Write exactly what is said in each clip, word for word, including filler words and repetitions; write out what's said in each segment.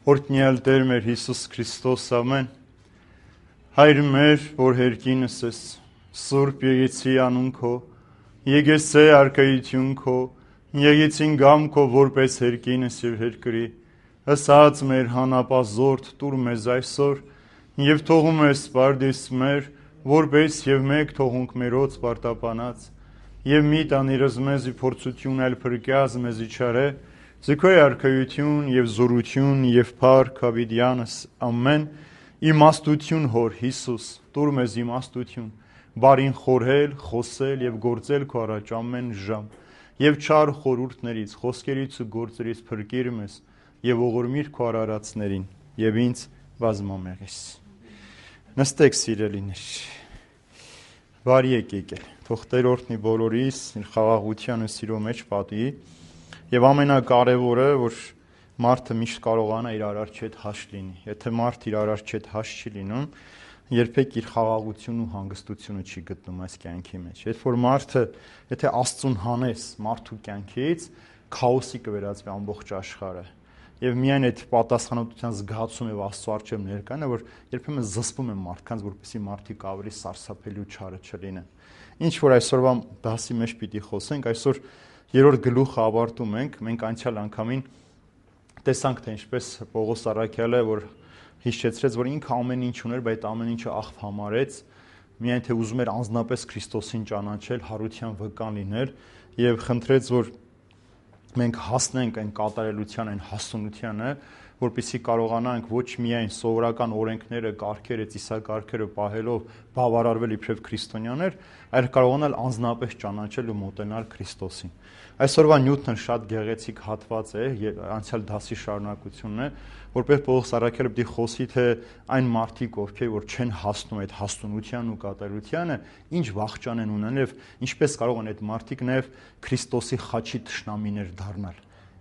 Օրհնյալ Տեր մեր Հիսուս Քրիստոս, ամեն։ Հայր մեր, որ հերկինս ես, Սուրբ եկեցի անուն քո, եկեցե արքայություն քո, եկեցին գամ քո որպես հերկինս եւ հերկրի, ըսած մեր հանապազորդ տուր մեզ այսօր, եւ թողում ես սպարդիս մեր, որպես եւ մեկ թողունք մերոց պարտապանած, եւ մի տանիրս մեզի փորձություն այլ փրկյազ մեզի չարե, Զիքոյ արքայություն եւ զորություն եւ փառք հավիտյանս ամեն իմաստություն հոր Հիսուս տուր մեզ իմաստություն բարին խորհել խոսել եւ գործել քո առաջ ամեն ժամ եւ չար խորհուրդներից խոսքերից ու գործերից փրկիր մեզ եւ ողորմիր քո արարածներին եւ ինձ բազմամեղես նստեք սիրելիներ բարի եկեք թող Տեր օրհնի բոլորիս իր խաղաղության ու սիրո մեջ պատի Եվ ամենակարևորը, որ մարդը միշտ կարողանա իր արարչի հետ հաշտ լինի։ Եթե մարդ իր արարչի հետ հաշտ չի լինում, երբեք իր խաղաղությունն ու հանգստությունը չի գտնում այս կյանքի մեջ։ Երբ որ մարդը, եթե Աստծուն հանես մարդու կյանքից, քաոսի կվերածվի ամբողջ աշխարհը։ Եվ միայն այդ պատասխանատվության զգացում եւ Աստծո առջև ներկան է, որ երբեմն զսպում են մարդկանց, որպեսզի մարդիկ ավելի սարսափելի ու չարը չլինեն։ Ինչ որ այսօրվա դասի մեջ պիտի խոսենք, այսօր Երրորդ գլուխը ավարտում ենք, մենք անցյալ անգամին տեսանք, թե ինչպես Պողոս առաքյալը, որ հիշեցրեց, որ ինքը ամեն ինչ ուներ, բայց ամեն ինչը աղբ համարեց, միայն թե ուզում էր անձնապես Քրիստոսին ճանաչել, հարության վկան լինել եւ խնդրեց, որ մենք հասնենք այն կատարելության, այն հասունությանը, որպեսզի կարողանանք ոչ միայն սովորական օրենքները, կարգերը, ծիսակարգերը պահելով բավարարվել իբրև քրիստոնյաներ, այլ կարողանալ անձնապես ճանաչել ու մոտենալ Քրիստոսին։ Այսօրվա նյութն շատ գեղեցիկ հատված է, անցյալ դասի շարունակությունն է, որպես Պողոս առաքյալը պիտի խոսի, թե այն մարդիկ, ովքեր որ չեն հասնում այդ հասունության ու կատարությանը, ինչ վախճան են ունեն եւ ինչպես կարող են այդ մարդիկ նաեւ Քրիստոսի խաչի թշնամիներ դառնալ,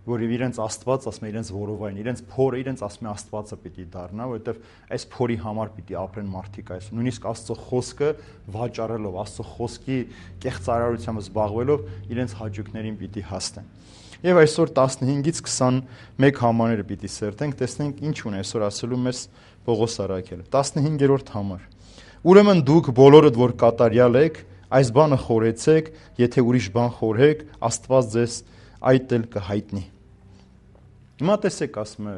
որ իրենց Աստված ասում է իրենց որովայն, իրենց փորը իրենց ասում է Աստվածը պիտի դառնա, որովհետեւ այս փորի համար պիտի ապրեն մարդիկ այս։ Նույնիսկ Աստծո խոսքը վաճառելով, Աստծո խոսքի կեղծարարությամբ զբաղվելով իրենց հաճույքներին պիտի հասնեն։ Եվ այսօր տասնհինգից քսանմեկ համարները պիտի սերտենք, տեսնենք ինչ ունի այսօր ասելու մեզ Պողոս առաքյալը։ տասնհինգերորդ համար։ Ուրեմն դուք բոլորդ որ կատարյալ եք, այս բանը խորեցեք, եթե ուրիշ բան խորհեք, Աստված ձեզ այդ էլ կհայտնի։ Հիմա տեսեք, ասում է,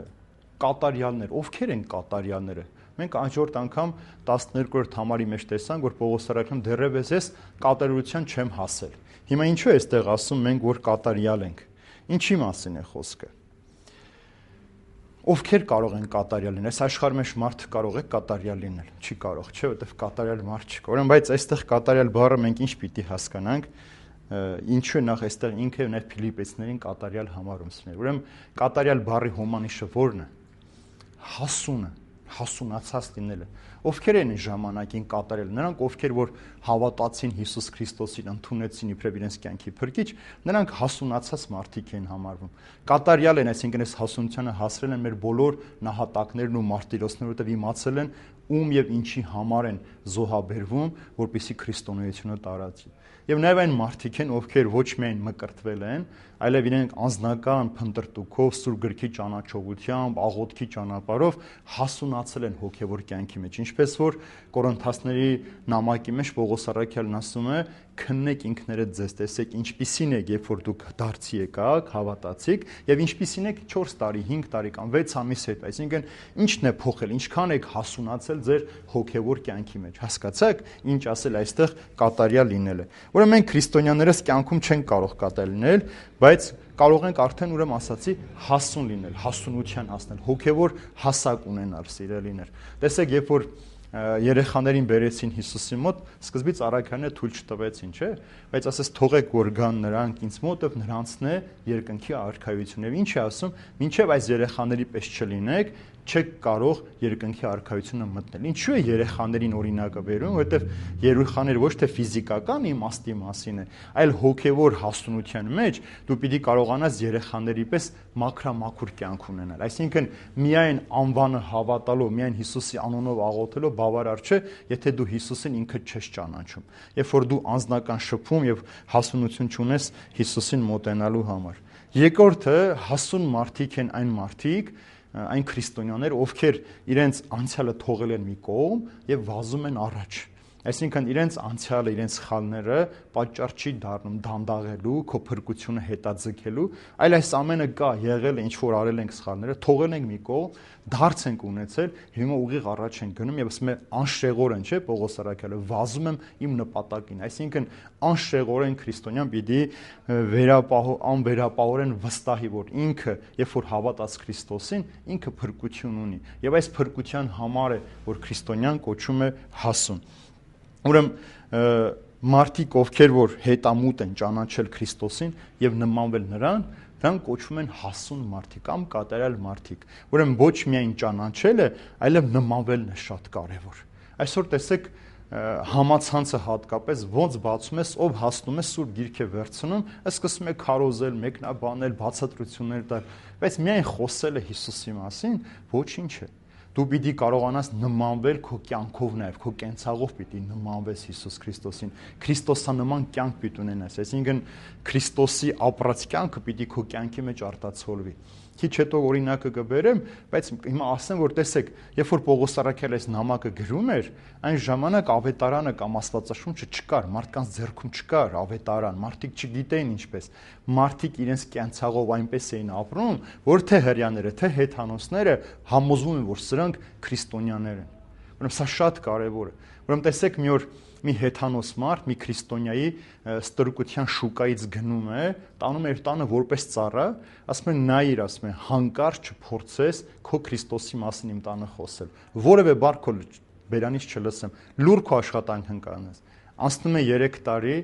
կատարյալներ, ովքեր են կատարյալները։ Մենք անջորդ անգամ տասներկրորդ համարի մեջ տեսանք, որ Պողոս առաքյալը դեռևս ես կատարելության չեմ հասել։ Հիմա ինչու է այստեղ ասում մենք, որ կատարյալ ենք։ Ինչի մասին է խոսքը։ Ովքեր կարող են կատարյալ լինել։ Այս աշխարհի մեջ մարդ կարող է կատարյալ լինել։ Չի կարող, չէ՞, որովհետև կատարյալ մարդ չկա։ Ուրեմն բայց այստեղ կատարյալ բառը մենք ինչ պիտի հասկանանք։ Ինչու է նախ այստեղ ինքը նաև Ֆիլիպեցիներին կատարյալ համարում սներ։ Ուրեմն կատարյալ բառի հոմանիշը ո՞րն է։ Հասունը, հասունացած լինելը։ Ովքեր են ժամանակին կատարել։ Նրանք, ովքեր որ հավատացին Հիսուս Քրիստոսին, ընդունեցին իբրև իրենց կյանքի փրկիչ, նրանք հասունացած մարդիկ են համարվում։ Կատարյալ են, այսինքն այս հասունությանը հասրել են մեր բոլոր նահատակներն ու մարտիրոսները, որտեղ իմացել են ում եւ ինչի համար են զոհաբերվում, որպեսզի քրիստոնեությունը տարածի։ Եվ նաև այն մարդիկ են, ովքեր ոչ միայն մկրտվել են, այլև իրենք անձնական փնտրտուքով, Սուրբ գրքի ճանաչողությամբ, աղոթքի ճանապարհով հասունացել են հոգևոր կյանքի մեջ, ինչպես որ Կորինթացների նամակի մեջ Պողոս առաքյալն ասում է, քննեք ինքներդ ձեզ, տեսեք ինչպիսին եք, երբ որ դուք դարձի եկաք, հավատացիք, եւ ինչպիսին եք չորս տարի, հինգ տարի կամ վեց ամիս հետո, այսինքն ինչն է փոխել, ինչքան եք հասունացել ձեր հոգևոր կյանքի մեջ, հասկացաք, ինչ ասել այստեղ կատարյալ լինելը։ Ուրեմն մենք քրիստոնյաներս կյանքում չենք կարող կատարել լինել, բայց կարող ենք արդեն ուրեմն ասացի հասուն լինել, հասունության հասնել, հոգևոր հասակ ունենալ, սիրելիներ։ Տեսեք, երբ որ երեխաներին բերեցին Հիսուսի մոտ, սկզբից առաքյալները թույլ չտվեցին, չէ՞, բայց ասես թողեք որ գան նրանք ինձ մոտ, եւ նրանցն է երկնքի արքայություն։ Եվ ինչ է ասում, մինչև այս երեխաների պես չլինեք, չեք կարող երկնքի արքայությունը մտնել։ Ինչու է երեխաներին օրինակը բերում, որովհետև երեխաները ոչ թե ֆիզիկական իմաստի մասին է, այլ հոգևոր հասունության մեջ դու պիտի կարողանաս երեխաների պես մաքրամաքուր կյանք ունենալ։ Այսինքն միայն անվանը հավատալով, միայն Հիսուսի անունով աղոթելով բավարար չէ, եթե դու Հիսուսին ինքդ չես ճանաչում։ Երբ որ դու անձնական շփում եւ հասունություն չունես Հիսուսին մոտենալու համար։ Երկրորդը հասուն մարդիկ են այն մարդիկ, այն քրիստոնյաներ, ովքեր իրենց անցյալը թողել են մի կողմ եւ վազում են առաջ։ Այսինքն իրենց անցյալը, իրենց սխալները պատճառ չի դառնում դանդաղելու, քո փրկությունը հետաձգելու, այլ այս ամենը կա, եղել է, ինչ որ արել ենք սխալները, թողել ենք մի կողմ, դարձ ենք ունեցել, հիմա ուղիղ առաջ ենք գնում եւ ասում է անշեղորեն, չէ՞, Պողոս առաքյալը, վազում եմ իմ նպատակին, այսինքն անշեղորեն քրիստոնյան պիտի վերապահ անվերապահորեն վստահի, որ ինքը, երբ որ հավատաց Քրիստոսին, ինքը փրկություն ունի եւ այս փրկության համար է, որ քրիստոնյան կոչում է հասուն։ Ուրեմն մարդիկ, ովքեր որ հետամուտ են ճանաչել Քրիստոսին եւ նմանվել նրան, դրանք կոչվում են հասուն մարդիկ կամ կատարյալ մարդիկ։ Ուրեմն ոչ միայն ճանաչելը, այլև նմանվելն է շատ կարեւոր։ Այսօր տեսեք համացանցը հատկապես ոնց բացում ես, ով հասնում է Սուրբ Գիրք է վերցնում, սկսում է քարոզել, մեկնաբանել, բացատրություններ տալ, բայց միայն խոսելը Հիսուսի մասին ոչինչ է։ Դու պիտի կարողանաս նմանվել քո կյանքով նաև, քո կենցաղով պիտի նմանվես Հիսուս Քրիստոսին, Քրիստոսանման կյանք պիտի ունենաս, այսինքն Քրիստոսի ապրած կյանքը պիտի քո կյանքի մեջ արտացոլվի։ Քիչ հետո օրինակը կբերեմ, բայց հիմա ասեմ, որ տեսեք, երբ որ Պողոս առաքյալը այս նամակը գրում էր, այն ժամանակ ավետարանը կամ Աստվածաշունչը չկար, մարդկանց ձեռքում չկար ավետարան, մարդիկ չգիտեին ինչպես, մարդիկ իրենց կյանցաղով այնպես էին ապրում, որ թե հрьяաները, թե հեթանոսները համոզվում են, որ սրանք քրիստոնյաներ են։ Ուրեմն սա շատ կարևոր է։ Ուրեմն տեսեք մի օր մի հեթանոս մարդ, մի քրիստոնյայի ստրկության շուկայից գնում է, տանում է իր տանը որպես ծառա, ասում է նայիր, ասում է հանկարծ չփորձես քո Քրիստոսի մասին իմ տանը խոսել։ Որևէ բառ քո բերանից չլսեմ, լուր քո աշխատանքն կանես։ Անցնում է երեք տարի,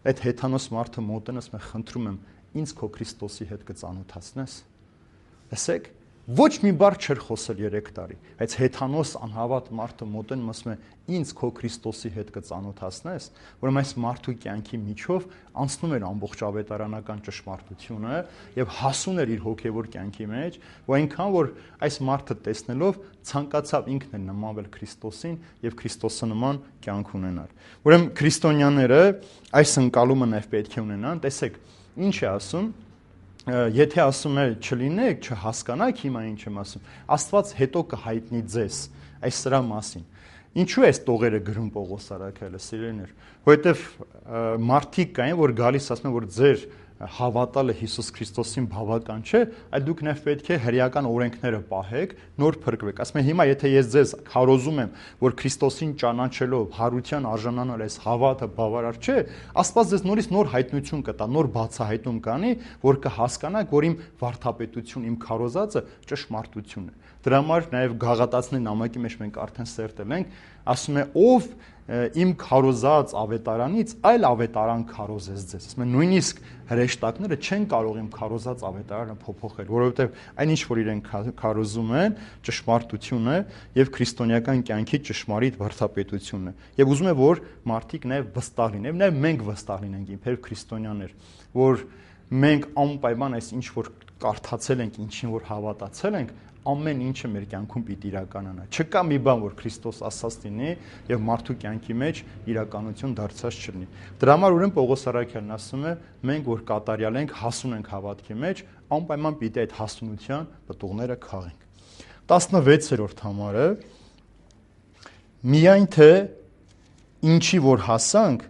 այդ հեթանոս մարդը մոտեն, ասում է խնդրում եմ, ինձ քո Քրիստոսի հետ կծանոթացնես։ Տեսեք, ոչ մի բառ չէր խոսել երեք տարի, բայց հեթանոս անհավատ մարդը մոտեն ասում է ինձ քո Քրիստոսի հետ կծանոթացնես, որում այս մարդու կյանքի միջով անցնում էր ամբողջ ավետարանական ճշմարտությունը եւ հասուն էր իր հոգեվոր կյանքի մեջ, ու այնքան որ այս մարդը տեսնելով ցանկացավ ինքն էլ նմանվել Քրիստոսին եւ Քրիստոսանման կյանք ունենալ։ Ուրեմն քրիստոնյաները այս ընկալումը նաեւ պետք է ունենան, տեսեք, ինչ է ասում Եթե ասում է չլինեք, չհասկանաք հիմա ինչ եմ ասում, Աստված հետո կհայտնի ձեզ այս սրա մասին։ Ինչու է այս տողերը գրում Պողոս առաքյալը, սիրելիներ, որովհետև մարդիկ կային, որ գալիս ասում են, որ ձեր հավատալը Հիսուս Քրիստոսին բավական չէ, այլ դուք նաև պետք է հրեական օրենքները պահեք, նոր փրկվեք։ Ասում են հիմա եթե ես ձեզ քարոզում եմ, որ Քրիստոսին ճանաչելով հարության արժանանալ այս հավատը բավարար չէ, Աստված ձեզ նորից նոր հայտնություն կտա, նոր բացահայտում կանի, որ կհասկանաք, որ իմ վարդապետություն, իմ քարոզածը ճշմարտություն է։ Դրա համար նաև Գաղատացիների նամակի մեջ մենք արդեն սերտել ենք, ասում է ով իմ քարոզած ավետարանից այլ ավետարան քարոզես ձեզ։ Ասում են նույնիսկ հրեշտակները չեն կարող իմ քարոզած ավետարանը փոփոխել, որովհետև այնինչ որ իրենք քարոզում են, ճշմարտություն է եւ քրիստոնեական կյանքի ճշմարիտ վարդապետությունն է։ Եվ ուզում եմ որ մարդիկ նաեւ վստահ լինեն, նաեւ մենք վստահ լինենք իբր քրիստոնյաներ, որ մենք անպայման այս ինչ որ կարդացել ենք, ինչին որ հավատացել ենք, ամեն ինչը մեր կյանքում պիտի իրականանա։ Չկա մի բան, որ Քրիստոս ասած լինի եւ մարդու կյանքի մեջ իրականություն դարձած չլինի։ Դրա համար ուրեմն Պողոս առաքյալն ասում է, մենք որ կատարյալ ենք, հասուն ենք հավատքի մեջ, անպայման պիտի այդ հասունության պտուղները քաղենք։ տասնվեցերորդ համարը միայն թե ինչի որ հասանք,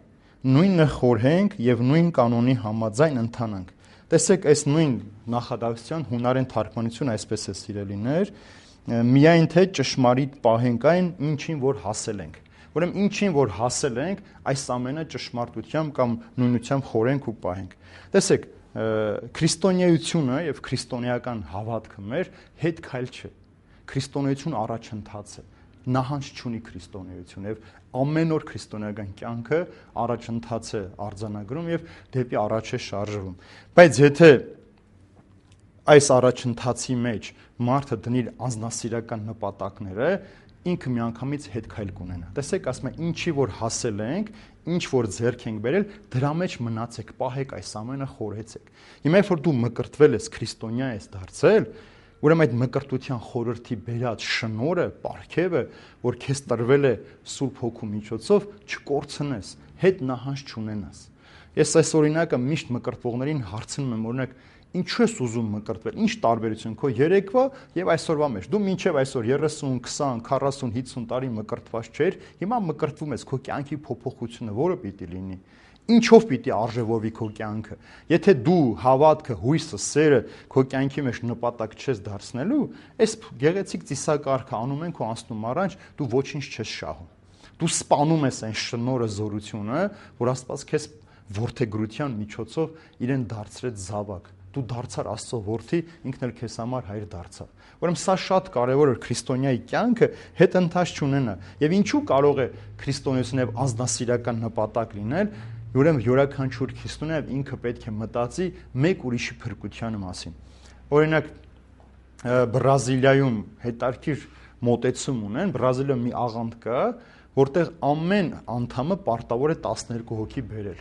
նույնը խորհենք եւ նույն կանոնի համաձայն ընթանանք։ Տեսեք, այս նույն նախադասության հունարեն թարգմանությունը այսպես է սիրելիներ, միայն թե ճշմարիտ պահենք այն, ինչին որ հասել ենք։ Ուրեմն ինչին որ հասել ենք, այս ամենը ճշմարտությամբ կամ նույնությամբ խորենք ու պահենք։ Տեսեք, քրիստոնեությունը եւ քրիստոնեական հավատքը մեր հետ քայլ չէ։ Քրիստոնեություն առաջընթաց է։ Նահանջ չունի քրիստոնեություն եւ ամեն օր քրիստոնեական կյանքը առաջընթաց է արձանագրում եւ դեպի առաջ է շարժվում։ Բայց եթե այս առաջընթացի մեջ մարդը դնի անձնասիրական նպատակները, ինքը միանգամից հետ քայլ կունենա։ Տեսեք, ասում է ինչի որ հասել ենք, ինչ որ ձեռք ենք բերել, դրա մեջ մնացեք, պահեք այս ամենը, խորհեցեք։ Հիմա երբ որ դու մկրտվել ես, քրիստոնյա ես դարձել, ուրեմն այդ մկրտության խորհրդի բերած շնորհը, պարգևը, որ քեզ տրվել է Սուրբ Հոգու միջոցով, չկորցնես, հետ նահանջ չունենաս։ Ես այս օրինակը միշտ մկրտվողներին հարցնում եմ, օրինակ, Ինչու ես ուզում մկրտվել։ Ինչ տարբերություն քո երեկվա եւ այսօրվա մեջ։ Դու մինչեւ այսօր երեսուն, քսան, քառասուն, հիսուն տարի մկրտված չէր, հիմա մկրտվում ես, քո կյանքի փոփոխությունը որը պիտի լինի։ Ինչով պիտի արժևորվի քո կյանքը։ Եթե դու հավատքը, հույսը, սերը քո կյանքի մեջ նպատակ չես դարձնելու, այս գեղեցիկ ծիսակարգը անում են քո անցնում առաջ, դու ոչինչ չես շահում։ Դու սպանում ես այն շնորհը, զորությունը, որ Աստված քեզ որդեգրության միջոցով իրեն դարձրեց զավակ։ Դու դարձար Աստծո որդի, ինքն էլ քեզ համար հայր դարձավ։ Ուրեմն սա շատ կարևոր է քրիստոնյայի կյանքը հետընթաց չունենա։ Եվ ինչու կարող է քրիստոնեությունը եւ անձնասիրական նպատակ լինել, ուրեմն յուրաքանչյուր քրիստոնյա ինքը պետք է մտածի մեկ ուրիշի փրկության մասին։ Օրինակ Բրազիլիայում հետարքիր մոտեցում ունեն, Բրազիլիայում մի աղանդ կա, որտեղ ամեն անդամը պարտավոր է տասներկու հոգի բերել։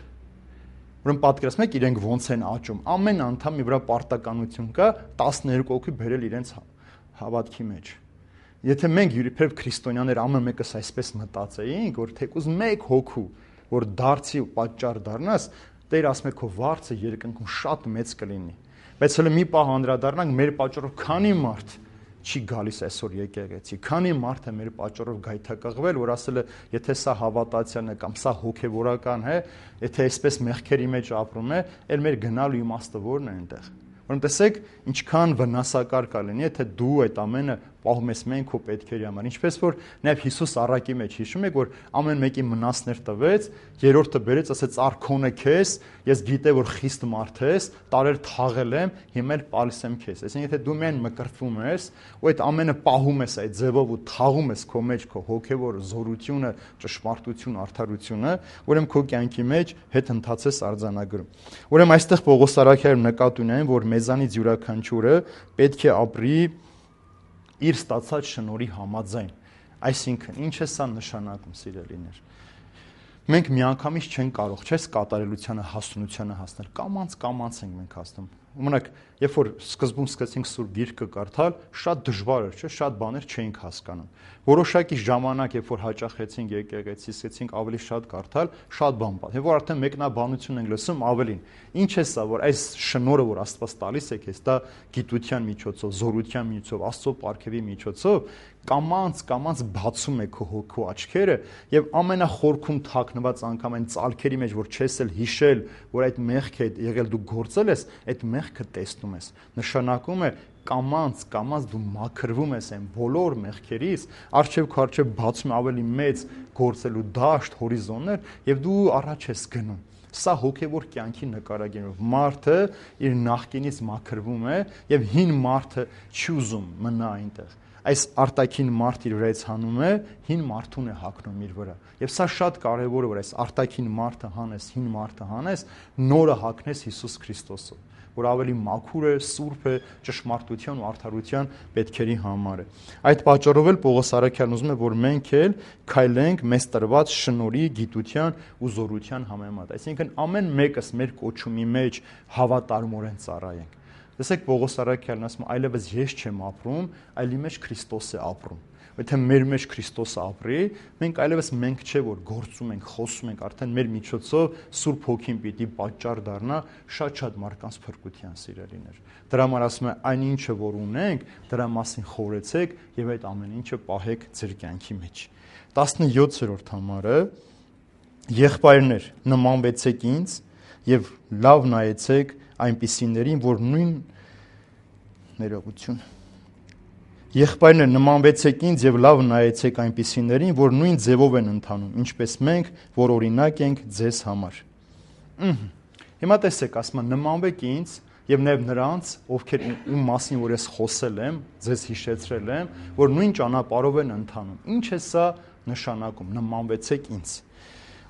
Ուրեմն պատկերացնում եք իրենք ոնց են աճում։ Ամեն անդամի վրա պարտականություն կա տասներկու հոգի բերել իրենց հավատքի մեջ։ Եթե մենք յուրիբերև քրիստոնյաներ ամեն մեկս այսպես մտածեինք, որ թեկուզ մեկ հոգու, որ դարձի ու պատճառ դառնաս, Տեր ասում է քո վարձը երկնքում շատ մեծ կլինի։ Բայց հələ մի պահ անդրադառնանք, մեր պատճառով քանի մարդ չի գալիս այսօր եկեղեցի, քանի մարդ է մեր պատճառով գայթակղվել, որ ասել է, եթե սա հավատացիան է կամ սա հոգևորական է, եթե այսպես մեղքերի մեջ ապրում է, էլ մեր գնալու իմաստը ո՞րն է այնտեղ։ Ուրեմն տեսեք, ինչքան վնասակար կա լինի, եթե դու այդ ամենը պահում ես մեն քո պետքերի համար։ Ինչպես որ նաև Հիսուս առակի մեջ հիշում եք, որ ամեն մեկի մնացներ տվեց, երրորդը բերեց, ասեց արքոնը քեզ, ես գիտե որ խիստ մարդ ես, տարեր թաղել եմ, հիմա էլ պալիս եմ քեզ։ Այսինքն եթե դու մեն մկրտվում ես, ու այդ ամենը պահում ես այդ ձևով ու թաղում ես քո մեջ քո հոգևոր զորությունը, ճշմարտությունը, արդարությունը, ուրեմն քո կյանքի մեջ հետ ընթացես արձանագրում։ Ուրեմն այստեղ Պողոս առաքյալը նկատի ունեն, որ մեզանից յուրաքանչյուրը պետք է ապրի իր ստացած շնորհի համաձայն։ Այսինքն, ինչ է սա նշանակում, սիրելիներ։ Մենք միանգամից չենք կարող, չես կատարելությանը, հասունությանը հասնել։ Կամանց կամանց ենք մենք հասնում։ Օրինակ, երբ որ սկզբում սկսեցինք Սուրբ Գիրքը կարդալ, շատ դժվար էր, չէ՞, շատ բաներ չէինք հասկանում։ Որոշակի ժամանակ, երբ որ հաճախեցինք եկեղեցի, սկսեցինք ավելի շատ կարդալ, շատ բան բան։ Եվ որ արդեն մեկնաբանություն ենք լսում ավելին։ Ինչ է սա, որ այս շնորհը, որ Աստված տալիս է քեզ, դա գիտության միջոցով, զորության միջոցով, Աստծո պարգևի միջոցով կամանց կամանց բացում է քո հոգու աչքերը եւ ամենախորքում թաքնված անգամ այն ցալքերի մեջ, որ չես էլ հիշել, որ այդ մեղքը եղել դու գործել ես, այդ մեղքը տեսնում ես։ Նշանակում է կամանց կամանց դու մաքրվում ես այն բոլոր մեղքերից, արժև քո արժև բացում ավելի մեծ գործելու դաշտ, հորիզոններ եւ դու առաջ ես գնում։ Սա հոգևոր կյանքի նկարագիրով մարդը իր նախկինից մաքրվում է եւ հին մարդը չի ուզում մնա այնտեղ։ Այս արտաքին մարդ իր վրայից հանում է, հին մարդուն է հագնում իր վրա։ Եվ սա շատ կարևոր է, որ այս արտաքին մարդը հանես, հին մարդը հանես, նորը հագնես Հիսուս Քրիստոսով, որ ավելի մաքուր է, սուրբ է, ճշմարտության ու արդարության պետքերի համար է։ Այդ պատճառով էլ Պողոս առաքյալն ուզում է, որ մենք էլ քայլենք մեզ տրված շնորհի, գիտության ու զորության համեմատ։ Այսինքն ամեն մեկս մեր կոչումի մեջ հավատարմորեն ծառայենք։ Տեսեք Պողոս առաքյալն ասում, այլևս ես չեմ ապրում, այլ իմ մեջ Քրիստոս է ապրում։ Եթե մեր մեջ Քրիստոսը ապրի, մենք այլևս մենք չէ որ գործում ենք, խոսում ենք, արդեն մեր միջոցով Սուրբ Հոգին պիտի պատճառ դառնա շատ-շատ մարդկանց փրկության, սիրելիներ։ Դրա համար ասում է, այն ինչը որ ունենք, դրա մասին խորեցեք եւ այդ ամեն ինչը պահեք ձեր կյանքի մեջ։ տասնյոթերորդ համարը եղբայրներ, նմանվեցեք ինձ եւ լավ նայեցեք այնպիսիներին, որ նույն ներողություն Եղբայրներ, նմանվեցեք ինձ եւ լավ նայեցեք այնպիսիներին, որ նույն ձևով են ընթանում, ինչպես մենք, որ օրինակ ենք ձեզ համար։ Հիմա տեսեք, ասում եմ, նմանվեք ինձ եւ նաեւ նրանց, ովքեր ում մասին որ ես խոսել եմ, ձեզ հիշեցրել եմ, որ նույն ճանապարհով են ընթանում։ Ինչ է սա նշանակում, նմանվեցեք ինձ։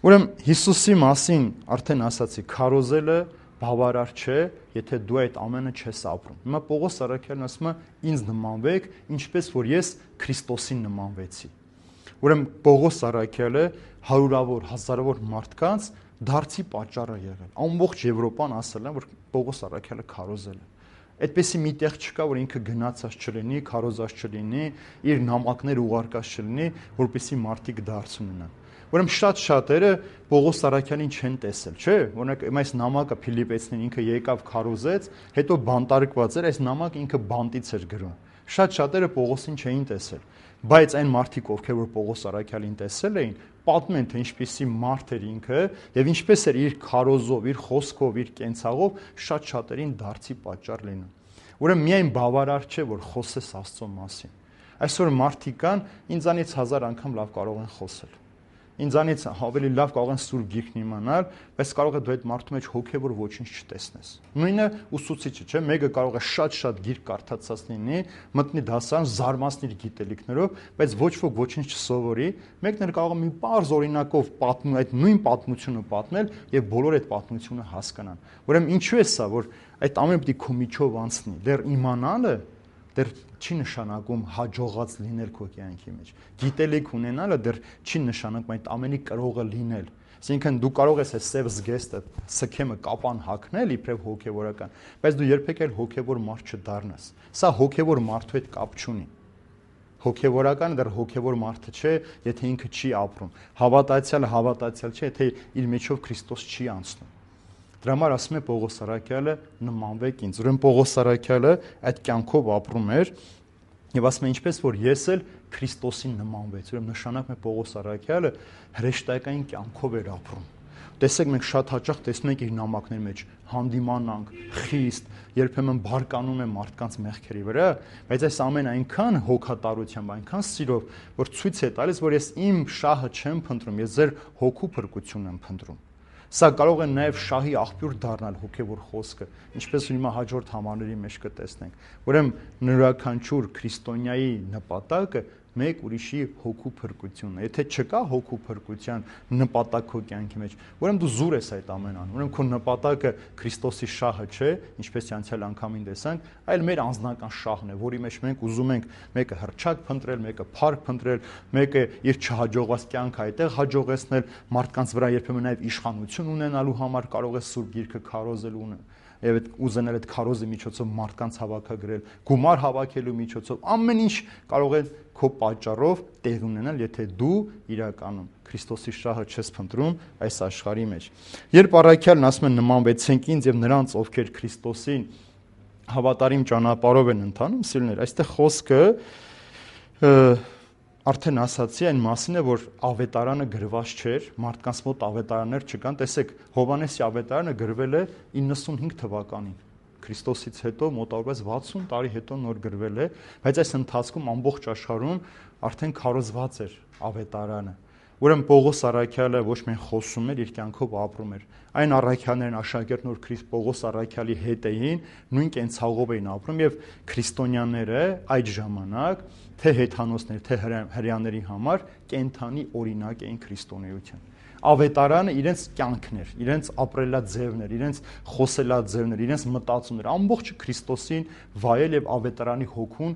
Ուրեմն Հիսուսի մասին արդեն ասացի, քարոզելը բավարար չէ, եթե դու այդ ամենը չես ապրում։ Հիմա Պողոս առաքյալն ասում է, ինձ նմանվեք, ինչպես որ ես Քրիստոսին նմանվեցի։ Ուրեմն Պողոս առաքյալը հարյուրավոր, հազարավոր մարդկանց դարձի պատճառ է եղել։ Ամբողջ Եվրոպան ասել են, որ Պողոս առաքյալը քարոզել է։ Այդպեսի մի տեղ չկա, որ ինքը գնացած չլինի, քարոզած չլինի, իր նամակներ ուղարկած չլինի, որպեսզի մարդիկ դարձ ունենան։ Ուրեմն շատ շատերը Պողոս Արաքյանին չեն տեսել, չէ՞։ Օրինակ այս նամակը Փիլիպեցին ինքը եկավ քարոզեց, հետո բանտարկված էր, այս նամակը ինքը բանտից էր գրում։ Շատ շատերը Պողոսին չէին տեսել, բայց այն մարդիկ, ովքեր որ Պողոս Արաքյանին տեսել էին, պատմում են, թե ինչպիսի մարդ էր ինքը եւ ինչպես էր իր քարոզով, իր խոսքով, իր կենցաղով շատ շատերին դարձի պատճառ լինում։ Ուրեմն միայն բավարար չէ, որ խոսես Աստծո մասին։ Այսօր մարդիկ կան, ինձանից հազար անգամ լավ կարող են խոսել։ Ինձանից ավելի լավ կարող են սուրբ գիրքն իմանալ, բայց կարող է դու այդ մարդու մեջ հոգևոր ոչինչ չտեսնես։ Նույնը ուսուցիչը, չէ՞, մեկը կարող է շատ-շատ գիրք կարդացած լինի, մտնի դասարան, զարմացնի իր գիտելիքներով, բայց ոչ ոք ոչինչ չսովորի, մեկն էլ կարող է մի պարզ օրինակով պատմել այդ նույն պատմությունը պատմել եւ բոլորը այդ պատմությունը հասկանան։ Ուրեմն ինչու է սա, որ այդ ամենը պիտի քո միջով անցնի, դեռ իմանալը դեռ չի նշանակում հաջողած լինել քո կյանքի մեջ։ Գիտելիք ունենալը դեռ չի նշանակում այդ ամենի կրողը լինել։ Այսինքն դու կարող ես այս սև զգեստը, սքեմը կապան հագնել իբրև հոգևորական, բայց դու երբեք էլ հոգևոր մարդ չդառնաս։ Սա հոգևոր մարդու հետ կապ չունի։ Հոգևորականը դեռ հոգևոր մարդը չէ, եթե ինքը չի ապրում։ Հավատացյալը հավատացյալ չէ, եթե իր միջով Քրիստոս չի անցնում։ Դրա համար ասում է Պողոս Արաքյալը նմանվեք ինձ։ Ուրեմն Պողոս Արաքյալը այդ կյանքով ապրում էր եւ ասում է ինչպես որ ես էլ Քրիստոսին նմանվեց։ Ուրեմն նշանակում է Պողոս Արաքյալը հրեշտակային կյանքով էր ապրում։ Տեսեք մենք շատ հաճախ տեսնում ենք իր նամակների մեջ հանդիմանանք, խիստ, երբեմն բարկանում է մարդկանց մեղքերի վրա, բայց այս ամեն այնքան հոգատարությամբ, այնքան սիրով, որ ցույց է տալիս, որ ես իմ շահը չեմ փնտրում, ես ձեր հոգու փրկությունն եմ փնտրում։ Սա կարող է նաև շահի աղբյուր դառնալ հոգևոր խոսքը, ինչպես հիմա հաջորդ համարների մեջ կտեսնենք։ Ուրեմն յուրաքանչյուր քրիստոնյայի նպատակը մեկ ուրիշի հոգու փրկությունն է։ Եթե չկա հոգու փրկության նպատակ քո կյանքի մեջ, ուրեմն դու զուր ես այդ ամեն անում։ Ուրեմն քո նպատակը Քրիստոսի շահը չէ, ինչպես անցյալ անգամին տեսանք, այլ մեր անձնական շահն է, որի մեջ մենք ուզում ենք մեկը հրճակ փնտրել, մեկը փառք փնտրել, մեկը իր չհաջողված կյանքը այդտեղ հաջողեցնել, մարդկանց վրա երբեմն նաև իշխանություն ունենալու համար կարող է սուրբ գիրքը քարոզել ունը եւ այդ ուզենել այդ քարոզի միջոցով մարդկանց հավաքագրել, գումար հավաքելու միջոցով, ամեն ինչ կարող է քո պատճառով տեղ ունենալ, եթե դու իրականում Քրիստոսի շահը չես փնտրում այս աշխարհի մեջ։ Երբ Առաքյալն ասում է նմանվեցենք ինձ եւ նրանց, ովքեր Քրիստոսին հավատարիմ ճանապարհով են ընթանում, սիրուներ, այստեղ խոսքը արդեն ասացի այն մասին է, որ ավետարանը գրված չէր, մարդկանց մոտ ավետարաններ չկան։ Տեսեք, Հովհաննեսի ավետարանը գրվել է իննսունհինգ թվականին։ Քրիստոսից հետո մոտավորապես վաթսուն տարի հետո նոր գրվել է, բայց այս ընթացքում ամբողջ աշխարհում արդեն քարոզված էր ավետարանը։ Ուրեմն Պողոս Արաքյալը ոչ միայն խոսում էր, իր կյանքով ապրում էր։ Այն առաքյալներն աշակերտն որ Քրիստ Պողոս Արաքյալի հետ էին, նույն կենցաղով էին ապրում եւ քրիստոնյաները այդ ժամանակ թե հեթանոսներ, թե հրեաների համար կենթանի օրինակ էին քրիստոնեության։ Ավետարանը իրենց կյանքն էր, իրենց ապրելաձևն էր, իրենց խոսելաձևն էր, իրենց մտածումն էր, ամբողջը Քրիստոսին վայել եւ ավետարանի հոգուն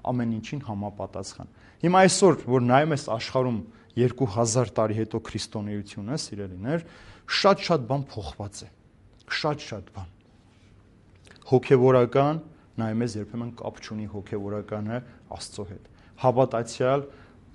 ամեն ինչին համապատասխան։ Հիմա այսօր, որ նայում ես աշխարհում երկու հազար տարի հետո քրիստոնեությունը, սիրելիներ, շատ-շատ բան փոխված է։ Շատ-շատ բան։ Հոգևորական, նայում ես երբեմն կապ չունի հոգևորականը Աստծո հետ։ Հավատացյալ,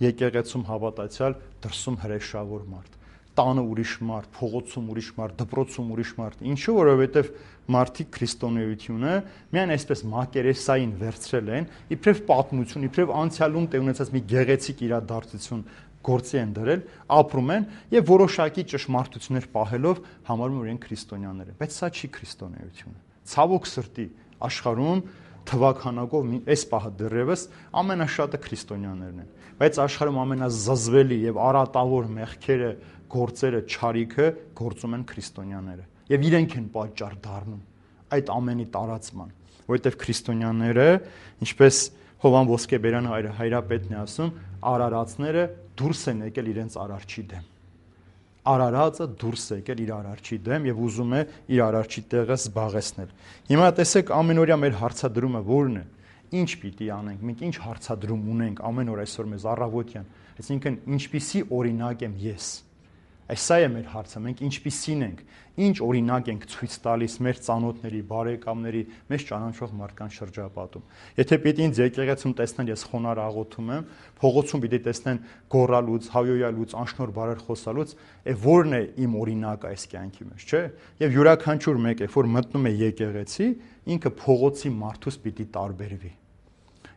եկեղեցում հավատացյալ, դրսում հրեշավոր մարդ։ Տանը ուրիշ մարդ, փողոցում ուրիշ մարդ, դպրոցում ուրիշ մարդ։ Ինչու, որովհետև մարդիկ քրիստոնեությունը միայն այսպես մակերեսային վերցրել են, իբրև պատմություն, իբրև անցյալում տեղ ունեցած մի գեղեցիկ իրադարձություն գործի են դրել, ապրում են եւ որոշակի ճշմարտություններ պահելով համարում են իրենք քրիստոնյաներ են, բայց սա չի քրիստոնեությունը։ Ցավոք սրտի աշխարհում թվականակով այս պահը դեռևս ամենաշատը քրիստոնյաներն են, բայց աշխարհում ամենազզվելի եւ արատավոր մեղքերը, գործերը, չարիքը գործում են քրիստոնյաները եւ իրենք են պատճառ դառնում այդ ամենի տարածման, որովհետեւ քրիստոնյաները, ինչպես Հովան Ոսկեբերյանը հայրապետն է ասում, արարածները դուրս են եկել իրենց արարչի դեմ։ Արարածը դուրս է եկել իր արարչի դեմ եւ ուզում է իր արարչի տեղը զբաղեցնել։ Հիմա տեսեք ամենօրյա մեր հարցադրումը ո՞րն է։ Ինչ պիտի անենք, մենք ինչ հարցադրում ունենք ամեն օր այսօր մեզ առավոտյան։ Այսինքն ինչպիսի օրինակ եմ ես։ Այս սա է մեր հարցը, մենք ինչպիսին ենք, ինչ օրինակ ենք ցույց տալիս մեր ծանոթների, բարեկամների, մեզ ճանաչող մարդկանց շրջապատում։ Եթե պիտի ինձ եկեղեցում տեսնեն, ես խոնարհ աղոթում եմ, փողոցում պիտի տեսնեն գոռալուց, հայոյալուց, անշնոր բարեր խոսալուց, է ո՞րն է իմ օրինակը այս կյանքի մեջ, չէ՞։ Եվ յուրաքանչյուր մեկ է, որ մտնում է եկեղեցի, ինքը փողոցի մարդուց պիտի տարբերվի։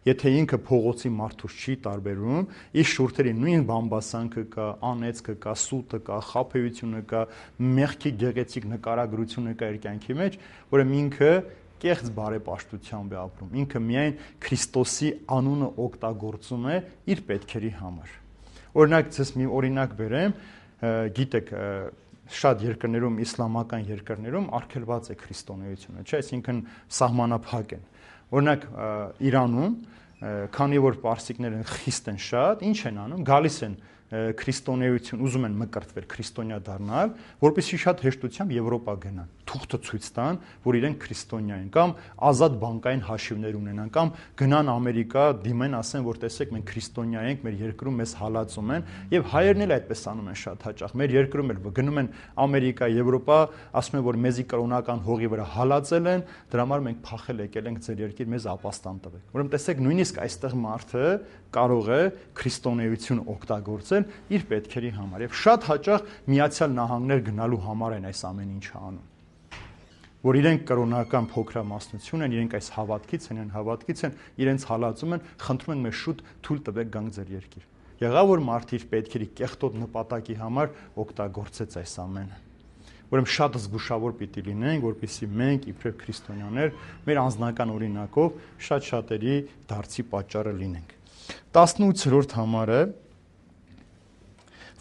Եթե ինքը փողոցի մարդուց չի տարբերվում, իր շուրթերի նույն բամբասանքը կա, անեծքը կա, սուտը կա, խաբեությունը կա, մեղքի գեղեցիկ նկարագրությունը կա իր կյանքի մեջ, որը ինքը կեղծ բարեպաշտությամբ է ապրում։ Ինքը միայն Քրիստոսի անունը օգտագործում է իր պետքերի համար։ Օրինակ, ցես մի օրինակ բերեմ, գիտեք, շատ երկրներում, իսլամական երկրներում արգելված է քրիստոնեությունը, չէ՞, այսինքն սահմանափակ են։ Օրինակ, Իրանում, քանի որ պարսիկները խիստ են շատ, ինչ են անում, գալիս են քրիստոնեություն, ուզում են մկրտվել, քրիստոնյա դառնալ, որպեսզի շատ հեշտությամբ Եվրոպա գնան, թուղթը ցույց տան, որ իրենք քրիստոնյա են, կամ ազատ բանկային հաշիվներ ունենան, կամ գնան Ամերիկա, դիմեն, ասեն, որ տեսեք, մենք քրիստոնյա ենք, մեր երկրում մեզ հալածում են, եւ հայերն էլ այդպես անում են շատ հաճախ։ Մեր երկրում էլ գնում են Ամերիկա, Եվրոպա, ասում են, որ մեզի կրոնական հողի վրա հալածել են, դրա համար մենք փախել եկել ենք ձեր երկիր, մեզ ապաստան տվեք։ Ուրեմն տեսեք, նույնիսկ այստեղ մարդը կարող է քրիստոնեություն օգտագործել իր պետքերի համար եւ շատ հաճախ Միացյալ Նահանգներ գնալու համար են այս ամեն ինչը անում, որ իրենք կրոնական փոքրամասնություն են, իրենք այս հավատքից են, են հավատքից են, իրենց հալածում են, խնդրում են մեզ շուտ թույլ տվեք գանք ձեր երկիր։ Եղավ որ մարդը իր պետքերի կեղտոտ նպատակի համար օգտագործեց այս ամենը։ Ուրեմն շատ զգուշավոր պիտի լինենք, որպեսզի մենք իբրև քրիստոնյաներ մեր անձնական օրինակով շատ շատերի դարձի պատճառը լինենք։ տասնութերորդ համարը,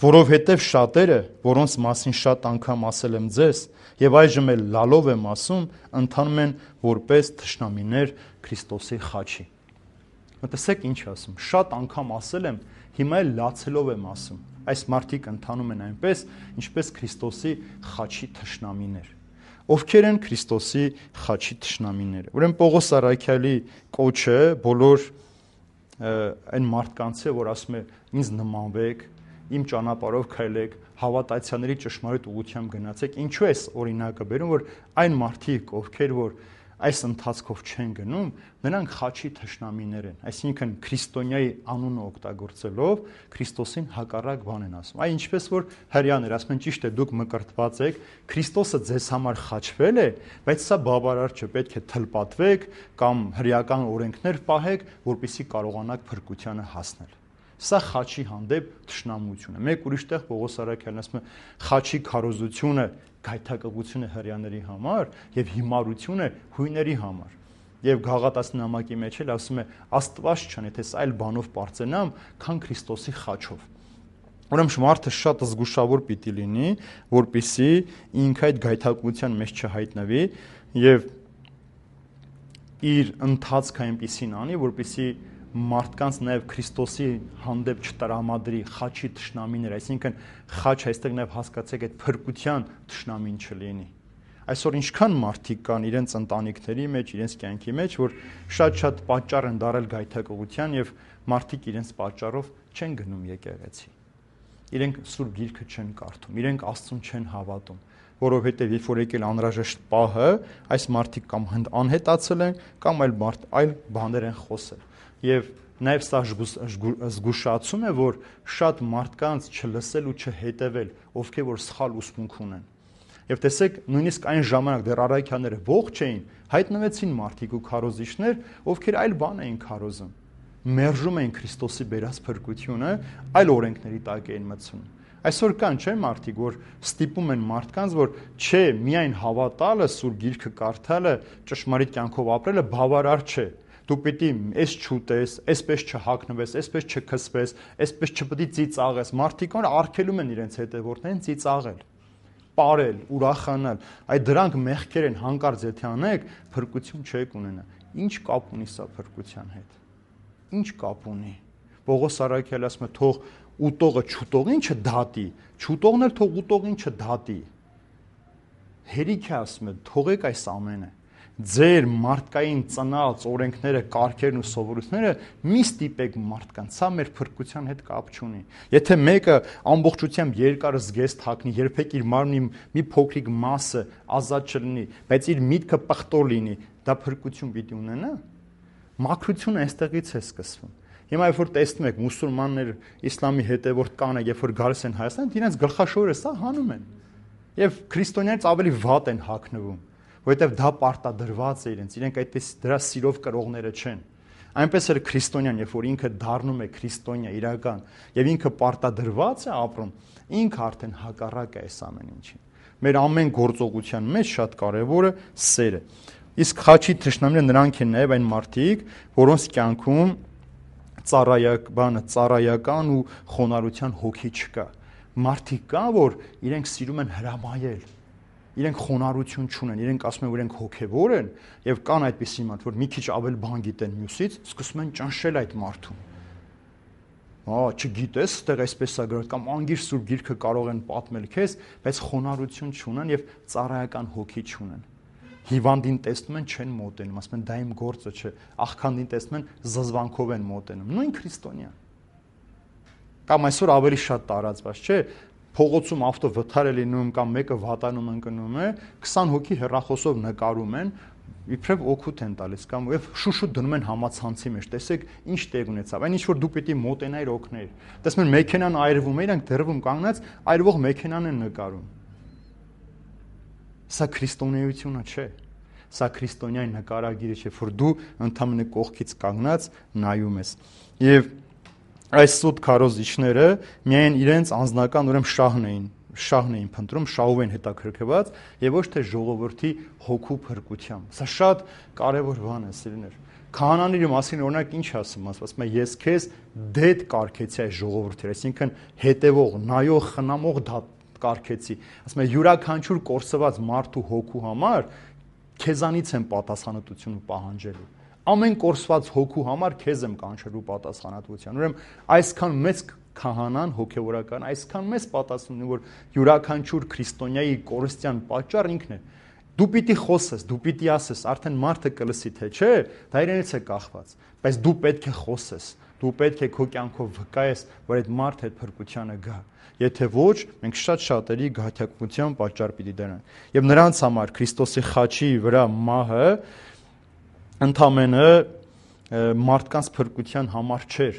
որովհետև շատերը, որոնց մասին շատ անգամ ասել եմ ձեզ, եւ այժմ էլ լալով եմ ասում, ընթանում են որպես թշնամիներ Քրիստոսի խաչի։ Մտածեք ինչ ասում, շատ անգամ ասել եմ, հիմա էլ լացելով եմ ասում։ Այս մարդիկ ընթանում են այնպես, ինչպես Քրիստոսի խաչի թշնամիներ։ Ովքեր են Քրիստոսի խաչի թշնամիները։ Ուրեմն Պողոս առաքյալի կոչը բոլոր այն մարդկանց է, որ ասում է ինձ նմանվեք, իմ ճանապարհով քայլեք, հավատացյալների ճշմարիտ ուղղությամբ գնացեք։ Ինչու է օրինակը բերում, որ այն մարդիկ, ովքեր որ այս ընթացքով չեն գնում, նրանք խաչի թշնամիներ են, այսինքն քրիստոնյայի անունը օգտագործելով Քրիստոսին հակառակ բան են ասում։ Այ ինչպես որ հрьяաներ ասում են, ճիշտ է, դուք մկրտված եք, Քրիստոսը ձեզ համար խաչվել է, բայց սա բավարար չէ, պետք է թլպատվեք կամ հրեական օրենքներ պահեք, որպեսզի կարողանաք փրկությանը հասնել։ Սա խաչի հանդեպ թշնամություն է։ Մեկ ուրիշ տեղ Պողոս առաքյալն ասում է, խաչի քարոզությունը գայթակղությունը հрьяաների համար եւ հիմարությունը հույների համար։ Եվ Գաղատացի նամակի մեջ էլ ասում է, Աստված չան, եթե սա այլ բանով պարծենամ, քան Քրիստոսի խաչով։ Ուրեմն մարդը շատ զգուշավոր պիտի լինի, որպեսզի ինքը այդ գայթակղության մեջ չհայտնվի եւ իր ընթացքը այնպեսին անի, որպեսզի մարդկանց նաև Քրիստոսի հանդեպ չտրամադրի խաչի թշնամիներ, այսինքն խաչ այստեղ նաև հասկացեք այդ փրկության թշնամին չլինի։ Այսօր ինչքան մարդիկ կան իրենց ընտանիքների մեջ, իրենց կյանքի մեջ, որ շատ-շատ պատճառ են դարել գայթակղության եւ մարդիկ իրենց պատճառով չեն գնում եկեղեցի։ Իրենք Սուրբ Գիրքը չեն կարդում, իրենք Աստծուն չեն հավատում, որովհետեւ երբ որ եկել անհրաժեշտ պահը, այս մարդիկ կամ անհետացել են, կամ այլ մարդ այլ բաներ են խոսել։ Եվ նաև սա զգուշացում է, որ շատ մարդկանց չլսել ու չհետևել, ովքեր որ սխալ ուսմունք ունեն։ Եվ տեսեք, նույնիսկ այն ժամանակ դեռ առաքյալները ողջ էին, հայտնվեցին մարդիկ ու քարոզիչներ, ովքեր այլ բան էին քարոզում, մերժում էին Քրիստոսի բերած փրկությունը, այլ օրենքների տակ էին մտցնում։ Այսօր կան չէ մարդիկ, որ ստիպում են մարդկանց, որ չէ, միայն հավատալը, Սուրբ Գիրքը կարդալը, ճշմարիտ կյանքով ապրելը բավարար չէ։ Դու պիտի էս չուտես, այսպես չհագնվես, այսպես չքսվես, այսպես չպետք է ծիծաղես։ Մարդիկ որ արգելում են իրենց հետևորդներին ծիծաղել, պարել, ուրախանալ։ Այդ դրանք մեղքեր են, հանկարծ եթե անեք, փրկություն չեք ունենա։ Ինչ կապ ունի սա փրկության հետ։ Ինչ կապ ունի։ Պողոս առաքյալը ասում է, թող ուտողը չուտողին չդատի, չուտողն էլ թող ուտողին չդատի։ Հերիք է ասում է, թողեք այս ամենը։ ձեր մարդկային ծնած օրենքները, կարգերն ու սովորույթները մի ստիպեք մարդկանց, սա մեր փրկության հետ կապ չունի։ Եթե մեկը ամբողջությամբ երկար զգեստ հագնի, երբեք իր մարմնի մի փոքրիկ մասը ազատ չլինի, բայց իր միտքը պղտոր լինի, դա փրկություն պիտի ունենա։ Մաքրությունը այստեղից է սկսվում։ Հիմա երբ որ տեսնում եք մուսուլմաններ, իսլամի հետևորդ կանայք, երբ որ գալիս են Հայաստան, իրենց գլխաշորը սա հանում են։ Եվ քրիստոնյանից ավելի վատ են հագնվում, որովհետև դա պարտադրված է իրենց, իրենք այդպես դրա սիրով կրողները չեն։ Այնպես էլ քրիստոնյան, երբ որ ինքը դառնում է քրիստոնյա իրական եւ ինքը պարտադրված է ապրում, ինքը արդեն հակառակ է այս ամեն ինչին։ Մեր ամեն գործողության մեջ շատ կարեւորը սերը։ Իսկ խաչի թշնամիները նրանք են նաեւ այն մարդիկ, որոնց կյանքում ծառայակ բանը ծառայական ու խոնարհության հոգի չկա։ Մարդիկ կա, որ իրենք սիրում են հրամայել, իրենք խոնարհություն չունեն, իրենք ասում են, որ իրենք հոգևոր են, եւ կան այդպիսի մարդ, որ մի քիչ ավել բան գիտեն մյուսից, սկսում են ճնշել այդ մարդուն։ Հա, չգիտես, այդտեղ այսպես է գրել, կամ անգիր սուրբ գիրքը կարող են պատմել քեզ, բայց խոնարհություն չունեն եւ ծառայական հոգի չունեն։ Հիվանդին տեսնում են, չեն մոտենում, ասում են դա իմ գործը չէ, աղքանդին տեսնում են, զզվանքով են մոտենում, նույն քրիստոնյա։ Կամ այսօր ավելի շատ տարածված չէ, փողոցում ավտո վթար է լինում կամ մեկը վատանում ընկնում է, քսան հոգի հեռախոսով նկարում են, իբրև օգուտ են տալիս կամ եւ շուշուտ դնում են համացանցի մեջ, տեսեք ինչ տեղ ունեցավ, այն ինչ որ դու պիտի մոտենայր օգներ։ Տեսնում են մեքենան այրվում է, իրանք դեռվում կանգնած, այրվող մեքենան են նկարում։ Սա քրիստոնեությունը չէ։ Սա քրիստոնյայի նկարագիրը չէ, որ դու ընդհանրապես կողքից կանգնած նայում ես։ Եվ այս սուտ քարոզիչները միայն իրենց անձնական ուրեմն շահն էին, շահն էին փնտրում, շահով են հետաքրքրված եւ ոչ թե ժողովրդի հոգու փրկությամբ։ Սա շատ կարեւոր բան է, սիրուներ։ Քահանաների մասին օրինակ ինչ ասում, ասում է ես քեզ դեդ կարգեցի այս ժողովրդի, այսինքն հետևող, նայող, խնամող դա կարգեցի։ Ասում է յուրաքանչյուր կորսված մարդու հոգու համար քեզանից եմ պատասխանատվություն պահանջելու։ Ամեն կորսված հոգու համար քեզ եմ կանչելու պատասխանատվության։ Ուրեմն այսքան մեծ քահանան հոգևորական, այսքան մեծ պատասխան ունի, որ յուրաքանչյուր քրիստոնյայի կորստյան պատճառ ինքն է։ Դու պիտի խոսես, դու պիտի ասես, արդեն մարդը կլսի թե չէ, դա իրենից է կախված, բայց դու պետք է խոսես, դու պետք է քո կյանքով վկայես, որ այդ մարդը այդ փրկությանը գա։ Եթե ոչ, մենք շատ շատերի գայթակղության պատճառ պիտի դառնանք։ Եվ նրանց համար Քրիստոսի խաչի վրա մահը ընդամենը մարդկանց փրկության համար չէր։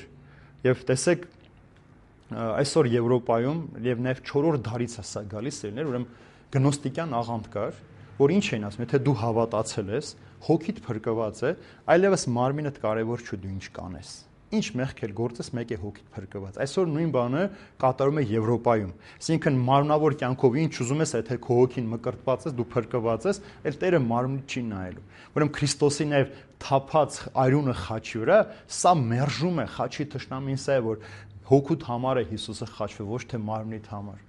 Եվ տեսեք, այսօր Եվրոպայում եւ նաեւ չորրորդ դարից է սա գալիս ելներ, ուրեմն գնոստիկյան աղանդ կար, որ ինչ էին ասում, եթե դու հավատացել ես, հոգիդ փրկված է, այլևս մարմինդ կարևոր չէ դու ինչ կանես։ Ինչ մեղք էլ գործես, մեկ է հոգիդ փրկված։ Այսօր նույն բանը կատարում է Եվրոպայում։ Այսինքն մարմնավոր կյանքով ինչ ուզում ես, եթե քո հոգին մկրտված ես, դու փրկված ես, այլ Տերը մարմնի չի նայելու։ Ուրեմն Քրիստոսի նաև թափած արյունը խաչի վրա, սա մերժում է խաչի թշնամին, սա է, որ հոգուդ համար է Հիսուսը խաչվել, ոչ թե մարմնիդ համար։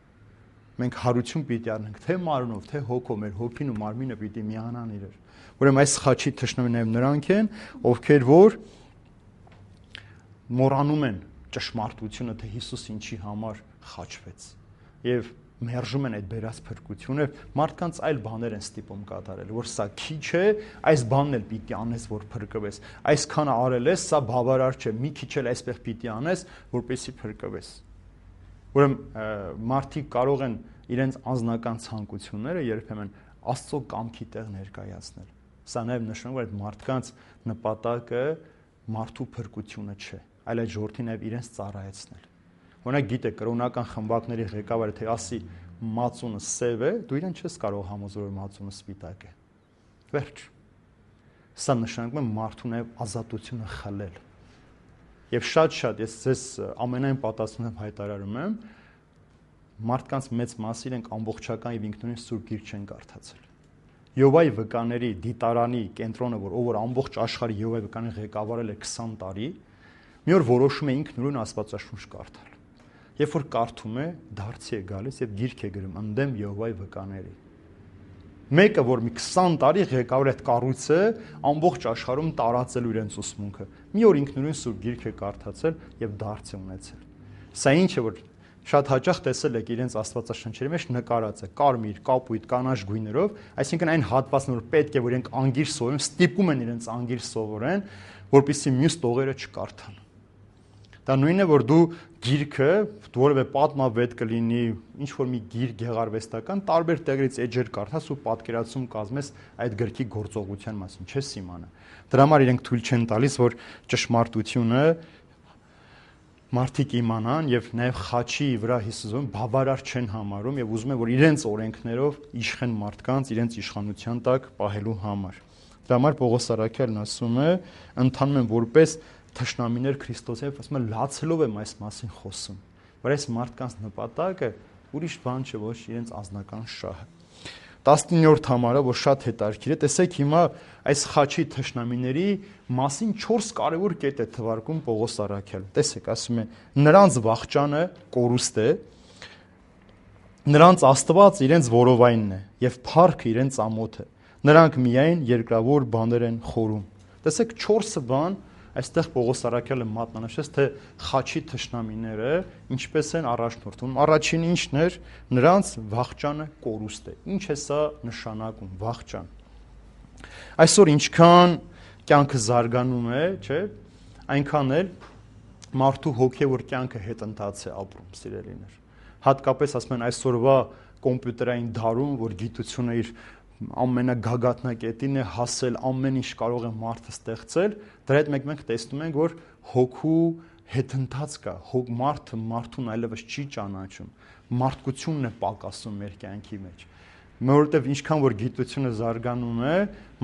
Մենք հարություն պիտի առնենք թե մարմնով, թե հոգով, մեր հոգին ու մարմինը պիտի միանան իրար։ Ուրեմն այս խաչի թշնամիները նրանք են, ովքեր որ մոռանում են ճշմարտությունը, թե Հիսուս ինչի համար խաչվեց եւ մերժում են այդ բերած փրկությունը, մարդկանց այլ բաներ են ստիպում կատարել, որ սա քիչ է, այս բանն էլ պիտի անես, որ փրկվես, այսքանը արել ես, սա բավարար չէ, մի քիչ էլ այսպես պիտի անես, որպեսզի փրկվես։ Ուրեմն մարդիկ կարող են իրենց անձնական ցանկությունները երբեմն Աստծո կամքի տեղ ներկայացնել։ Սա նաև նշանակում է, որ այդ մարդկանց նպատակը մարդու փրկությունը չէ, այլ այդ ժողովրդին նաև իրենց ծառայեցնել։ Օրինակ գիտեք, կրոնական խմբակների ղեկավարը թե ասի մածունը սև է, դու իրեն չես կարող համոզել, որ մածունը սպիտակ է։ Վերջ։ Սա նշանակում է մարդու նաև ազատությունը խլել։ Եվ շատ-շատ ես ձեզ ամենայն պատասխանությամբ հայտարարում եմ, մարդկանց մեծ մասը իրենք ամբողջական եւ ինքնուրույն սուրբ գիրք չեն կարդացել։ Յովայի վկաների դիտարանի կենտրոնը, որ ով որ ամբողջ աշխարհի Յովայի վկաները ղեկավարել է քսան տարի, մի օր որոշում է ինքնուրույն Աստվածաշունչ կարդալ։ Երբ որ կարդում է, դարձի է գալիս եւ գիրք է գրում ընդդեմ Յովայի վկաների։ Մեկը, որ մի քսան տարի ղեկավար այդ կառույցը ամբողջ աշխարհում տարածելու իրենց ուսմունքը, մի օր ինքնուրույն սուրբ գիրք է կարդացել եւ դարձ է ունեցել։ Սա ինչ է, որ շատ հաճախ տեսել եք իրենց աստվածաշնչերի մեջ նկարած է կարմիր, կապույտ, կանաչ գույներով, այսինքն այն հատվածն որ պետք է որ իրենք անգիր սովորեն, ստիպում են իրենց անգիր սովորեն, որպեսզի մյուս տողերը չկարդան։ Դա նույնն է, որ դու գիրքը, որևէ պատմավետ կլինի, ինչ որ մի գիր գեղարվեստական, տարբեր տեղերից էջեր կարդաս ու պատկերացում կազմես այդ գրքի գործողության մասին, չես իմանա։ Դրա համար իրենք թույլ չեն տալիս, որ ճշմարտությունը մարդիկ իմանան եւ նաեւ խաչի վրա Հիսուսը բավարար չեն համարում եւ ուզում են, որ իրենց օրենքներով իշխեն մարդկանց, իրենց իշխանության տակ պահելու համար։ Դրա համար Պողոս Արաքյալն ասում է, ընթանում են որպես թշնամիներ Քրիստոսի, ասում է լացելով եմ այս մասին խոսում, որ այս մարդկանց նպատակը ուրիշ բան չէ, ոչ իրենց անձնական շահը։ տասնիններորդ համարը, որ շատ հետաքրքիր է, տեսեք հիմա այս խաչի թշնամիների մասին չորս կարևոր կետ է թվարկում Պողոս Արաքյալը։ Տեսեք, ասում է, նրանց վախճանը կորուստ է, նրանց Աստված իրենց որովայնն է եւ փառքը իրենց ամոթը։ Նրանք միայն երկրավոր բաներ են խորում։ Տեսեք, չորսը բան այստեղ Պողոս Արաքյալը մատնանշեց, թե խաչի թշնամիները ինչպես են առաջնորդվում։ Առաջինը ինչն էր, նրանց վախճանը կորուստ է։ Ինչ է սա նշանակում, վախճան։ Այսօր ինչքան կյանքը զարգանում է, չէ՞, այնքան էլ մարդու հոգևոր կյանքը հետընթաց է ապրում, սիրելիներ։ Հատկապես ասում են այսօրվա կոմպյուտերային դարում, որ գիտությունը իր ամենագագաթնակետին է հասել, ամեն ինչ կարող է մարդը ստեղծել, դրա հետ մենք մենք տեսնում ենք, որ հոգու հետընթաց կա, հոգ մարդը մարդուն այլևս չի ճանաչում, մարդկությունն է պակասում մեր կյանքի մեջ, որովհետև ինչքան որ գիտությունը զարգանում է,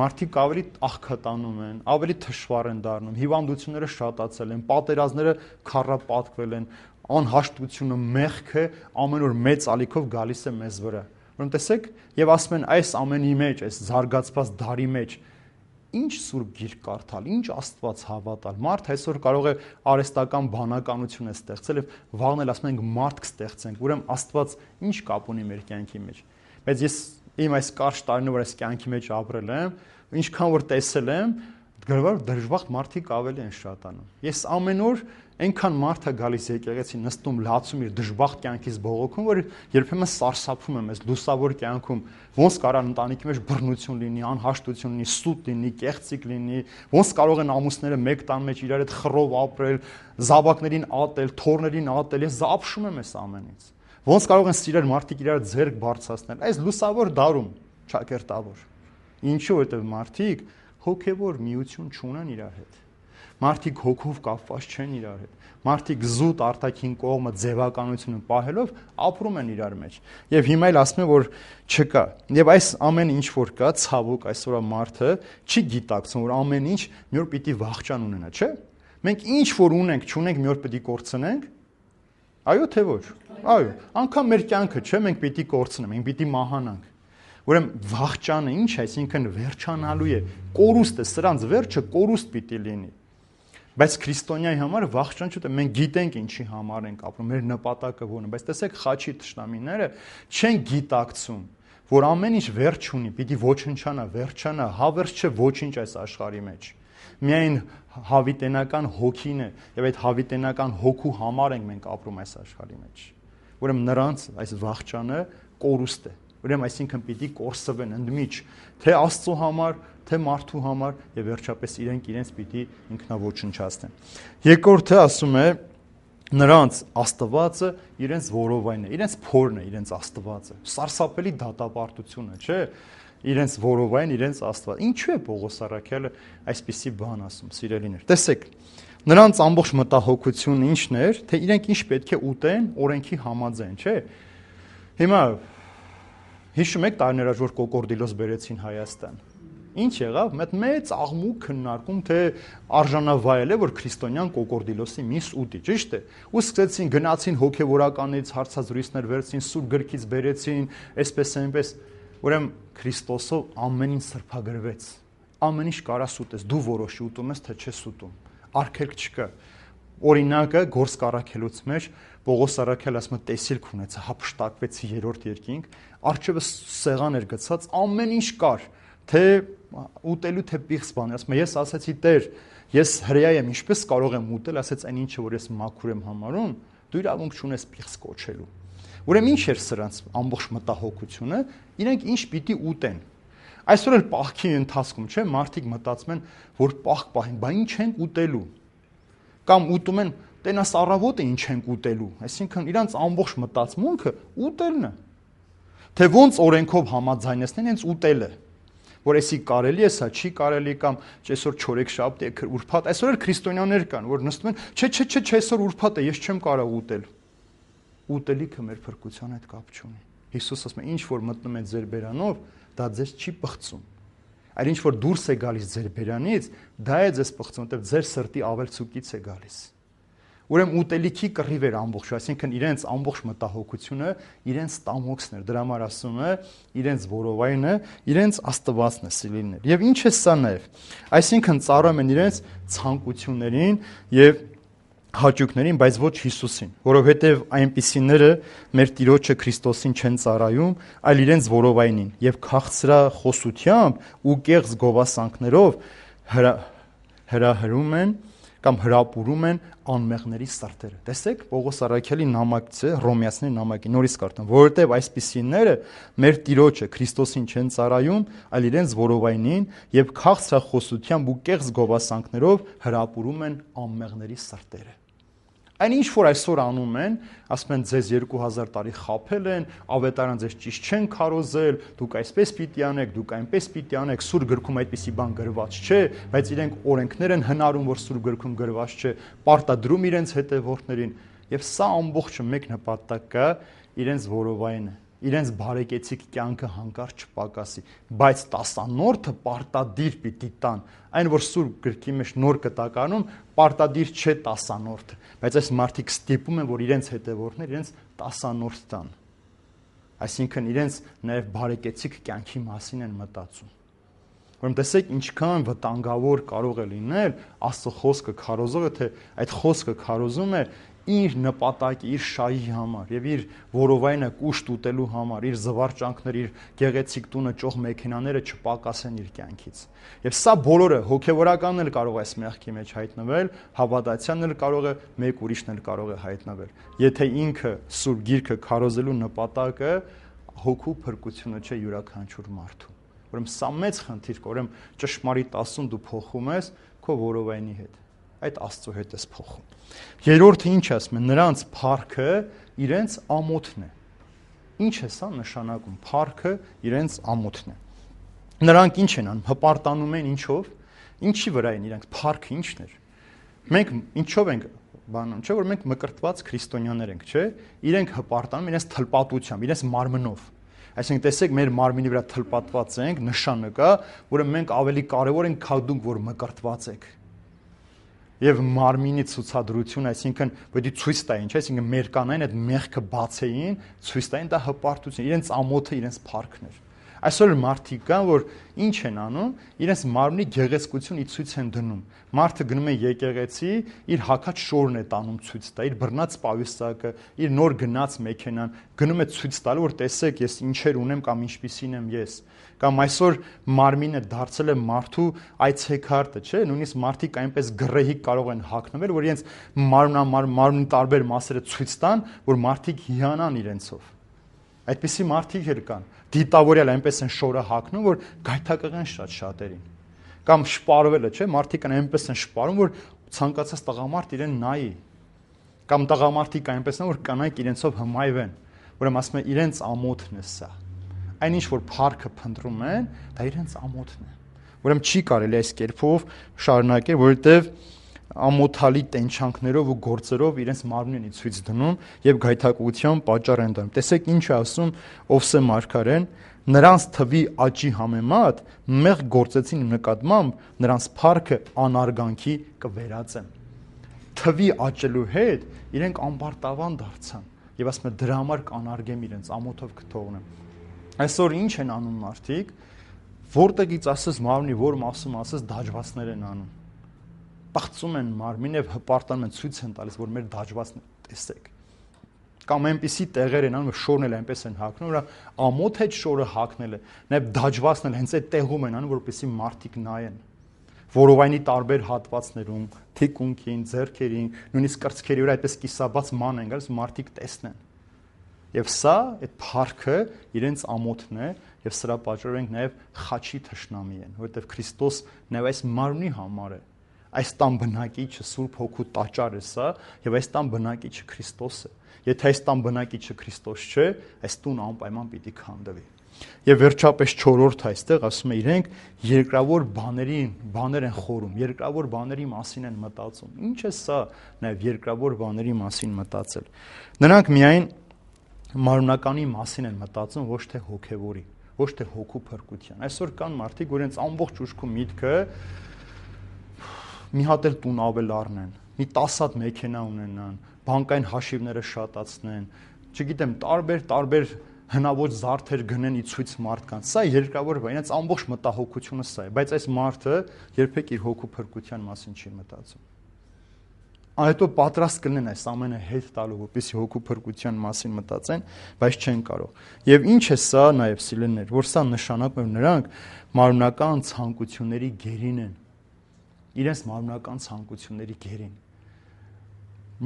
մարդիկ ավելի աղքատանում են, ավելի թշվառ են դառնում, հիվանդությունները շատացել են, պատերազմները քառապատկվել են, անհաշտությունը, մեղքը ամեն օր մեծ ալիքով գալիս է մեզ վրա։ Որում տեսեք, եւ ասում են այս ամենի մեջ, այս զարգացված դարի մեջ ինչ սուրբ գիրք կարդալ, ինչ Աստված հավատալ։ Մարդ այսօր կարող է արհեստական բանականություն է ստեղծել եւ վաղն էլ ասում ենք մարդ կստեղծենք, ուրեմն Աստված ինչ կապ ունի մեր կյանքի մեջ։ Բայց ես իմ այս կարճ տարիներով այս կյանքի մեջ ապրել եմ, ինչքան որ տեսել եմ, գրվար դժբախտ մարդիկ ավելի են շատանում։ Ես ամեն օր այնքան մարդ է գալիս եկեղեցի նստում լացում իր դժբախտ կյանքից բողոքում, որ երբեմն սարսափում եմ այս լուսավոր կյանքում, ոնց կարող ընտանիքի մեջ բռնություն լինի, անհաշտություն լինի, սուտ լինի, կեղծիք լինի, ոնց կարող են ամուսները մեկ տան մեջ իրար հետ խռով ապրել, զավակներին ատել, թոռներին ատել, ես զապշում եմ այս ամենից։ Ոնց կարող են սիրել մարդիկ իրար ձեռք բարձրացնել, այս լուսավոր դարում, ճակերտավոր։ Ինչու, որտեղ մարդիկ հոգևոր միություն չունեն իրար հետ։ Մարդիկ հոգով կապված չեն իրար հետ։ Մարդիկ զուտ արտաքին կողմը ձևականությունը պահելով ապրում են իրար մեջ։ Եվ հիմա էլ ասում են, որ չկա։ Եվ այս ամեն ինչ որ կա, ցավոք այսօրվա մարդը չի գիտակցում, որ ամեն ինչ մի օր պիտի վախճան ունենա, չէ՞։ Մենք ինչ որ ունենք, չունենք, մի օր պիտի կորցնենք։ Այո, թե ոչ։ Այո, անգամ մեր կյանքը, չէ՞, մենք պիտի կորցնենք, մենք պիտի մահանանք։ Ուրեմն վախճանը ինչ է, այսինքն վերջանալու է, կորուստ է, սրանց վերջը կորուստ պիտի լինի։ Բայց քրիստոնյայի համար վախճան չէ, մենք գիտենք ինչի համար ենք ապրում, մեր նպատակը որն է, բայց տեսեք խաչի թշնամիները չեն գիտակցում, որ ամեն ինչ վերջ ունի, պիտի ոչնչանա, վերջանա, հավերժ չէ ոչինչ այս աշխարհի մեջ։ Միայն հավիտենական հոգին է, եւ այդ հավիտենական հոգու համար ենք մենք ապրում այս աշխարհի մեջ։ Ուրեմն նրանց այս վախճանը կորուստ է։ Ուրեմն այսինքն պիտի կորսվեն ընդմիջ, թե Աստծո համար, թե մարդու համար եւ վերջապես իրենք իրենց պիտի ինքնաոչնչացնեն։ Երկրորդը ասում է նրանց Աստվածը իրենց որովայնն է, իրենց փորն է, իրենց Աստվածը։ Սարսափելի դատապարտություն է, չէ՞։ Իրենց որովայն, իրենց Աստված։ Ինչու է Պողոս Արաքյալը այսպիսի բան ասում, սիրելիներ։ Տեսեք, նրանց ամբողջ մտահոգությունն ինչն էր, թե իրենք ինչ պետք է ուտեն օրենքի համաձայն, չէ՞։ Հիմա հիշում եք տարիներ առաջ որ կոկորդիլոս բերեցին Հայաստան։ Ինչ եղավ, մեծ մեծ աղմուկ քննարկում, թե արժանավայել է, որ քրիստոնյան կոկորդիլոսի միս ուտի, ճիշտ է։ Ու սկսեցին գնացին հոգևորականից հարցազրույցներ վերցին, սուրբ գրքից բերեցին, այսպես այնպես։ Ուրեմն Քրիստոսով ամեն ինչ սրբագրվեց։ Ամեն ինչ կարաս ուտես, դու որոշի ուտում ես, թե չես ուտում։ Արգելք չկա։ Օրինակը Գործք առաքելուց մեջ Պողոս Արաքյալը ասում է տեսիլք ունեցա, հափշտակվեցի երրորդ երկինք, առջևը սեղան էր գցած, ամեն ինչ կար, թե ուտելու թե պիղծ բան, ասում է ես ասացի Տեր, ես հրեա եմ, ինչպես կարող եմ ուտել, ասեց այն ինչը որ ես մաքուր եմ համարում, դու իրավունք չունես պիղծ կոչելու։ Ուրեմն ինչ էր սրանց ամբողջ մտահոգությունը, իրենք ինչ պիտի ուտեն։ Այսօր էլ պահքի ընթացքում, չէ, մարդիկ մտածում են, որ պահք պահին, բա ինչ են ուտելու։ Կամ ուտում են, տենաս առավոտը ինչ են ուտելու, այսինքն իրանց ամբողջ մտածմունքը ուտելն է։ Թե ոնց օրենքով համաձայնեցնեն հենց ուտելը, որ էսի կարելի է, սա չի կարելի, կամ այսօր չորեքշաբթի է, ուրբաթ, այսօր էլ քրիստոնյաներ կան, որ նստում են, չէ, չէ, չէ, չէ, այսօր ուրբաթ է, ես չեմ կարող ուտել։ Ուտելիքը մեր փրկության հետ կապ չունի։ Հիսուս ասում է, ինչ որ մտնում է ձեր բերանով, դա ձեզ չի պղծում։ Այլ ինչ որ դուրս է գալիս ձեր բերանից, դա է ձեզ պղծում, որտեղ ձեր սրտի ավելցուկից է գալիս։ Ուրեմն ուտելիքի կռիվ էր ամբողջ, այսինքն իրենց ամբողջ մտահոգությունը իրենց տամոքսն էր, դրա համար ասում է, իրենց որովայնը, իրենց աստվածն է սիրելիներ։ Եվ ինչ է սա նաև։ Այսինքն ծառայում են իրենց ցանկություններին եւ հաճույքներին, բայց ոչ Հիսուսին, որովհետև այնպիսիները մեր Տիրոջը Քրիստոսին չեն ծառայում, այլ իրենց որովայնին եւ քաղցրախոսությամբ ու կեղծ գովասանքներով հրա, հրահրում են կամ հրապուրում են անմեղների սրտերը։ Տեսեք, Պողոս առաքյալի նամակից է, Հռոմեացիների նամակի, նորից կարդամ, որովհետև այսպիսիները մեր Տիրոջը Քրիստոսին չեն ծառայում, այլ իրենց որովայնին եւ քաղցրախոսությամբ ու կեղծ գովասանքներով հրապուրում են անմեղների սրտերը։ Այն ինչ որ այսօր անում են, ասում են ձեզ երկու հազար տարի խաբել են, ավետարան ձեզ ճիշտ չեն քարոզել, դուք այսպես պիտի անեք, դուք այնպես պիտի անեք, սուր գրքում այդպիսի բան գրված չէ, բայց իրենք օրենքներ են հնարում, որ սուր գրքում գրված չէ, պարտադրում իրենց հետևորդներին, եւ սա ամբողջը մեկ նպատակ կա, իրենց որովայնը, իրենց բարեկեցիկ կյանքը հանկարծ չպակասի, բայց տասանորդը պարտադիր պիտի տան, այն որ սուր գրքի մեջ նոր կտականում պարտադիր չէ տասանորդը, բայց այս մարդիկ ստիպում են, որ իրենց հետևորդներ իրենց տասանորդ տան, այսինքն իրենց նաև բարեկեցիկ կյանքի մասին են մտածում։ Ուրեմն տեսեք ինչքան վտանգավոր կարող է լինել Աստծո խոսքը քարոզողը, թե այդ խոսքը քարոզում է իր նպատակի, իր շահի համար եւ իր որովայնը կուշտ ուտելու համար, իր զվարճանքները, իր գեղեցիկ տունը, ճոխ մեքենաները չպակասեն իր կյանքից։ Եվ սա բոլորը հոգեվորականն էլ կարող է այս մեղքի մեջ հայտնվել, հավատացյանն էլ կարող է, մեկ ուրիշն էլ կարող է հայտնվել։ Եթե ինքը սուրբ գիրքը քարոզելու նպատակը հոգու փրկությունը չէ յուրաքանչյուր մարդու։ Ուրեմն սա մեծ խնդիր կա, ուրեմն ճշմարիտ ասում դու փոխում ես քո որովայնի հետ։ Այդ Աստծո հետ ես փոխում։ Երրորդը ինչ ասում է, նրանց փառքը իրենց ամոթն է։ Ինչ է սա նշանակում, փառքը իրենց ամոթն է։ Նրանք ինչ են անում, հպարտանում են ինչով, ինչի վրա են իրանք, փառքը ինչն էր։ Մենք ինչով ենք բանում, չէ՞ որ մենք մկրտված քրիստոնյաներ ենք, չէ՞։ Իրենք հպարտանում իրենց թլպատությամբ, իրենց մարմնով։ Այսինքն տեսեք, մեր մարմինի վրա թլպատված ենք, նշանը կա, որը մենք ավելի կարևոր ենք, քան դուք, որ մկրտված եք։ Եվ մարմինի ցուցադրություն, այսինքն պետք է ցույց տային, չէ՞, այսինքն մեր կանային այդ մեղքը բացեին, ցույց տային դա հպարտություն, իրենց ամոթը, իրենց փառքն էր։ Այսօր մարդիկ կան, որ ինչ են անում, իրենց մարմնի գեղեցկությունը ցույց են դնում։ Մարդը գնում է եկեղեցի, իր հագած շորն է տանում ցույց տա, իր բռնած պայուսակը, իր նոր գնաց մեքենան, գնում է ցույց տալու, որ տեսեք, ես ինչեր ունեմ կամ ինչպիսին եմ ես։ Կամ այսօր մարմինը դարձել է մարդու այցեքարտը, չէ՞, նույնիսկ մարդիկ այնպես գրեհիկ կարող են հագնվել, որ իրենց մարմնամար մարմնի տարբեր մասերը ցույց տան, որ մարդիկ հիանան իրենցով։ Այդպիսի մարդիկ էլ կան։ Դիտավորյալ այնպես են շորը հագնում, որ գայթակղեն շատ շատերին։ Կամ շպարվելը, չէ՞, մարդիկ այնպես են շպարում, որ ցանկացած տղամարդ իրեն նայի։ Կամ տղամարդիկ այնպես են, որ կանայք իրենցով հմայվեն, ուրեմն ասում են իրենց ամոթն է սա։ Այն ինչ որ փառքը փնտրում են, դա իրենց ամոթն է։ Ուրեմն չի կարելի այս կերպով շարունակել, որովհետև ամոթալի տենչանքներով ու գործերով իրենց մարմինն ի ցույց դնում եւ գայթակղության պատճառ են դառնում։ Տեսեք ինչ է ասում Օվսե մարգարեն, նրանց թվի աճի համեմատ մեղ գործեցին նկատմամբ նրանց փառքը անարգանքի կվերածեն։ Թվի աճելու հետ իրենք ամբարտավան դարձան եւ ասում են դրա համար կանարգեմ իրենց ամոթով կթողնեմ։ Այսօր ինչ են անում մարդիկ, որտեղից ասես մարմնի որ մասում ասես դաջվածներ են անում։ Պղծում են մարմին եւ հպարտանում են, ցույց են տալիս, որ մեր դաջվածն տեսեք։ Կամ այնպիսի տեղեր են անում, շորն էլ այնպես են հագնում, որ ամոթ հետ շորը հագնել է, նաեւ դաջվածն էլ հենց այդ տեղում են անում, որպեսզի մարդիկ նայեն։ որովայնի տարբեր հատվածներում, թիկունքին, ձեռքերին, նույնիսկ կրծքերի վրա այդպես կիսաբաց ման են գալիս, մարդիկ տեսնեն։ Եվ սա այդ փառքը իրենց ամոթն է, եւ սրա պատճառով ենք նաեւ խաչի թշնամի են, որովհետեւ Քրիստոս նաեւ այս մարմնի համար է։ Այս տան բնակիչը Սուրբ Հոգու տաճար է սա, եւ այս տան բնակիչը Քրիստոս է։ Եթե այս տան բնակիչը Քրիստոս չէ, այս տուն անպայման պիտի քանդվի։ Եվ վերջապես չորրորդ այստեղ ասում է իրենք երկրավոր բաների բաներ են խորում, երկրավոր բաների մասին են մտածում։ Ինչ է սա նաեւ երկրավոր բաների մասին մտածել։ Նրանք միայն մարմնականի մասին են մտածում, ոչ թե հոգևորի, ոչ թե հոգու փրկության։ Այսօր կան մարդիկ, որ իրենց ամբողջ ուշքու միտքը մի հատ էլ տուն ավել առնեն, մի տասը հատ մեքենա ունենան, բանկային հաշիվները շատացնեն, չգիտեմ, տարբեր տարբեր հնաոճ զարդեր գնեն ի ցույց մարդկանց։ Սա երկրավոր բան, իրենց ամբողջ մտահոգությունը սա է, բայց այս մարդը երբեք իր հոգու փրկության մասին չի մտածում։ Այդո պատրաստ կլինեն այս ամենը հետ տալու, որպեսզի հոգու փրկության մասին մտածեն, բայց չեն կարող։ Եվ ինչ է սա նաև սիրելիներ, որ սա նշանակում է նրանք մարմնական ցանկությունների գերին են։ Իրենց մարմնական ցանկությունների գերին։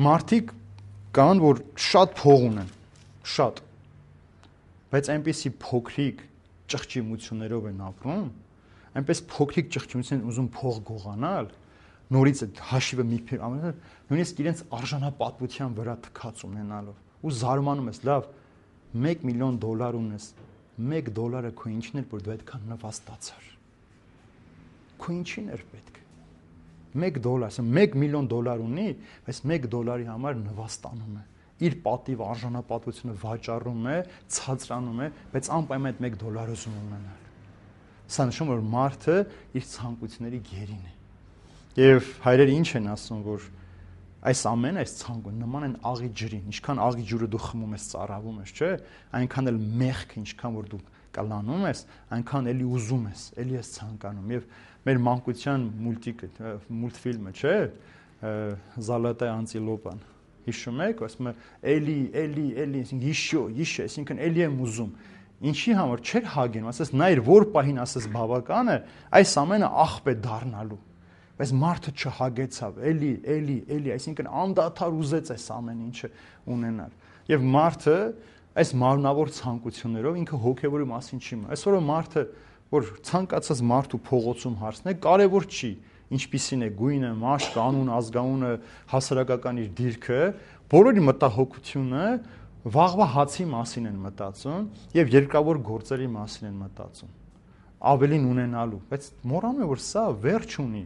Մարդիկ կան, որ շատ փող ունեն, շատ, բայց այնպեսի փոքրիկ ճղճիմություններով են ապրում, այնպես փոքրիկ ճղճիմություն են ուզում փող գողանալ, նորից այդ հաշիվը մի փեր ամեն նույնիսկ իրենց արժանապատվության վրա թքած ունենալով ու զարմանում ես, լավ, մեկ միլիոն դոլար ունես, մեկ դոլարը քո ինչն էր, որ դու այդքան նվաստացար։ Քո ինչին էր պետք։ մեկ դոլար, ասեմ մեկ միլիոն դոլար ունի, բայց մեկ դոլարի համար նվաստանում է։ Իր պատիվ արժանապատվությունը վաճառում է, ցածրանում է, բայց անպայման այդ մեկ դոլարը ուզում ունենալ։ Սա նշում որ մարդը իր ցանկությունների գերին է։ Եվ հայրերը ինչ են ասում, որ այս ամենը, այս ցանկը նման են աղի ջրին, ինչքան աղի ջուրը դու խմում ես, ծարավում ես, չէ՞, այնքան էլ մեղքը, ինչքան որ դու կլանում ես, այնքան էլի ուզում ես, էլի ես ցանկանում։ Եվ մեր մանկության մուլտիկը, մուլտֆիլմը, չէ՞, Զալատայ անտիլոպան։ Հիշում եք, ասում է, էլի, էլի, էլի, այսինքն իշո, իշը, այսինքն էլի եմ ուզում։ Ինչի համար չէր հագենում, ասես նայր որ պահին ասես բավական է, այս ամենը աղբ է դառնալու։ Բայց մարդը չհագեցավ, էլի, էլի, էլի, այսինքն անդադար ուզեց այս ամեն ինչը ունենալ։ Եվ մարդը այս մարմնավոր ցանկություններով ինքը հոգևորի մասին չի մտածում։ Այսօր մարդը, որ ցանկացած մարդու փողոցում հարցն է, կարևոր չի, ինչպիսին է գույնը, մաշկը, անունը, ազգանունը, հասարակական իր դիրքը, բոլորի մտահոգությունը վաղվա հացի մասին են մտածում եւ երկրավոր գործերի մասին են մտածում։ Ավելին ունենալու, բայց մոռանում է որ սա վերջ ունի։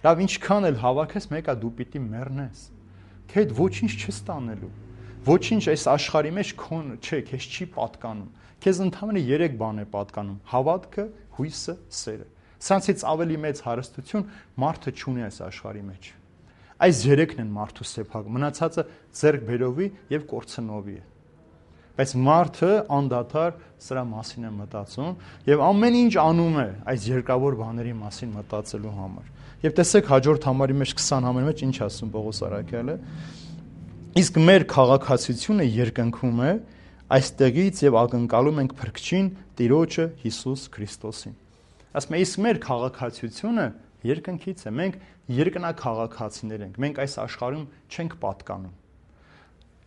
Լավ ինչքան էլ հավաքես, մեկա դու պիտի մեռնես։ Քեդ ոչինչ չստանելու։ Ոչինչ այս աշխարհի մեջ քոն չէ, քեզ չի պատկանում։ Քեզ ընդհանրապես երեք բան է պատկանում՝ հավատքը, հույսը, սերը։ Սրանցից ավելի մեծ հարստություն մարդը չունի այս աշխարհի մեջ։ Այս երեքն են մարդու սեփակը, մնացածը ձեռք բերովի եւ կորցնովի է։ Բայց մարդը անդադար սրա մասին է մտածում եւ ամեն ինչ անում է այս երկրավոր բաների մասին մտածելու համար։ Եվ տեսեք հաջորդ համարի մեջ քսան համարի մեջ ինչ ասում Պողոս Արաքյալը։ Իսկ մեր քաղաքացիությունը երկնքում է, այստեղից եւ ակնկալում ենք Փրկչին Տիրոջը Հիսուս Քրիստոսին։ Ասում է իսկ մեր քաղաքացիությունը երկնքից է, մենք երկնաքաղաքացիներ ենք, մենք այս աշխարհում չենք պատկանում։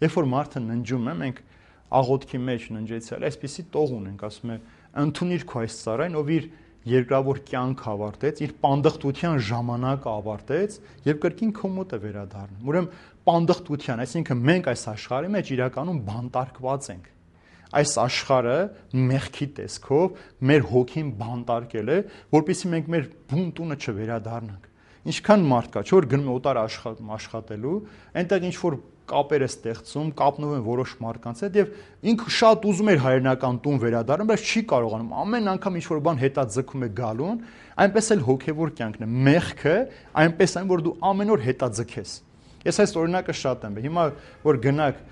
Երբ որ մարդը ննջում է, մենք աղոթքի մեջ ննջեցել, այսպեսի տող ունենք, ասում է, ընդունիր քո այս ծառային, ով իր երկրավոր կյանք ավարտեց, իր պանդխտության ժամանակը ավարտեց եւ կրկին քո մոտ է վերադառնում։ Ուրեմն պանդխտության, այսինքն մենք այս աշխարհի մեջ իրականում բանտարկված ենք։ Այս աշխարհը մեղքի տեսքով մեր հոգին բանտարկել է, որպեսզի մենք մեր բուն տունը չվերադառնանք։ Ինչքան մարդ կա, չէ՞ որ գնում է օտար աշխատելու, այնտեղ ինչ որ կապեր է ստեղծում, կապնով են որոշ մարդկանց հետ եւ ինքը շատ ուզում էր հայրենական տուն վերադառնալ, բայց չի կարողանում։ Ամեն անգամ ինչ որ բան հետա ձգում է գալուն, այնպես էլ հոգեվոր կյանքն է։ Մեղքը այնպես այն, որ դու ամեն օր հետա ձգես։ Ես այս օրինակը շատ եմ։ Հիմա որ գնաք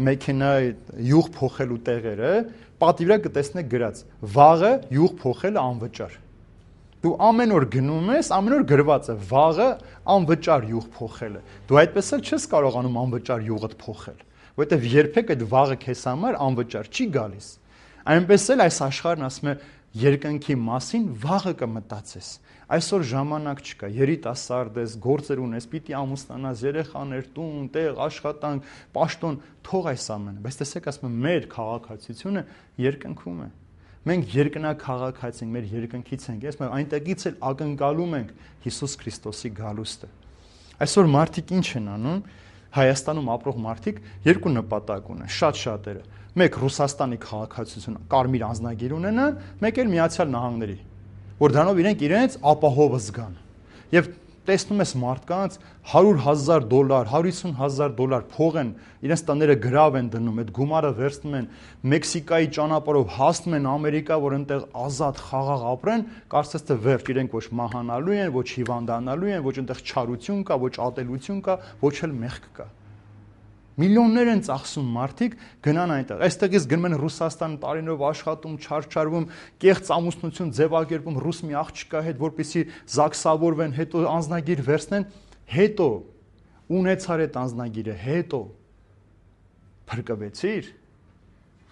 մեքենայի յուղ փոխելու տեղերը, պատի վրա կտեսնեք գրած. վաղը յուղ փոխելը անվճար։ Դու ամեն օր գնում ես, ամեն օր գրված է վաղը անվճար յուղ փոխելը։ Դու այդպես էլ չես կարողանում անվճար յուղդ փոխել, որովհետև երբեք այդ վաղը քեզ համար անվճար չի գալիս։ Այնպես էլ այս աշխարհն ասում է, երկնքի մասին վաղը կմտածես։ Այսօր ժամանակ չկա, երիտասարդ ես, գործեր ունես, պիտի ամուսնանաս, երեխաներ, տուն, տեղ, աշխատանք, պաշտոն, թող այս ամենը։ Բայց տեսեք, ասում եմ, մեր քաղաքացիությունը երկնքում է։ Մենք երկնաքաղաքացի ենք, մեր երկնքից ենք, ես այնտեղից էլ ակնկալում ենք Հիսուս Քրիստոսի գալուստը։ Այսօր մարդիկ ինչ են անում։ Հայաստանում ապրող մարդիկ երկու նպատակ ունեն, շատ շատերը։ Մեկ Ռուսաստանի քաղաքացիություն, կարմիր անձնագիր ունենան, մեկ էլ Միացյալ Նահանգների, որ դրանով իրենք իրենց ապահովը զգան։ Եվ տեսնում ես մարդկանց հարյուր հազար դոլար, հարյուր հիսուն հազար դոլար փող են, իրենց տները գրավ են դնում, այդ գումարը վերցնում են Մեքսիկայի ճանապարհով հասնում են Ամերիկա, որ այնտեղ ազատ խաղաղ ապրեն, կարծես թե վերջ իրենք ոչ մահանալու են, ոչ հիվանդանալու են, ոչ այնտեղ չարություն կա, ոչ ատելություն կա, ոչ էլ մեղք կա։ Միլիոններ են ծախսում մարդիկ գնան այնտեղ։ Այստեղից գնում են Ռուսաստան տարիներով աշխատում, չարչարվում, կեղծ ամուսնություն ձևակերպում ռուս մի աղջկա հետ, որպեսզի զաքսավորվեն, հետո անձնագիր վերցնեն, հետո ունեցար այդ անձնագիրը, հետո փրկվեցիր։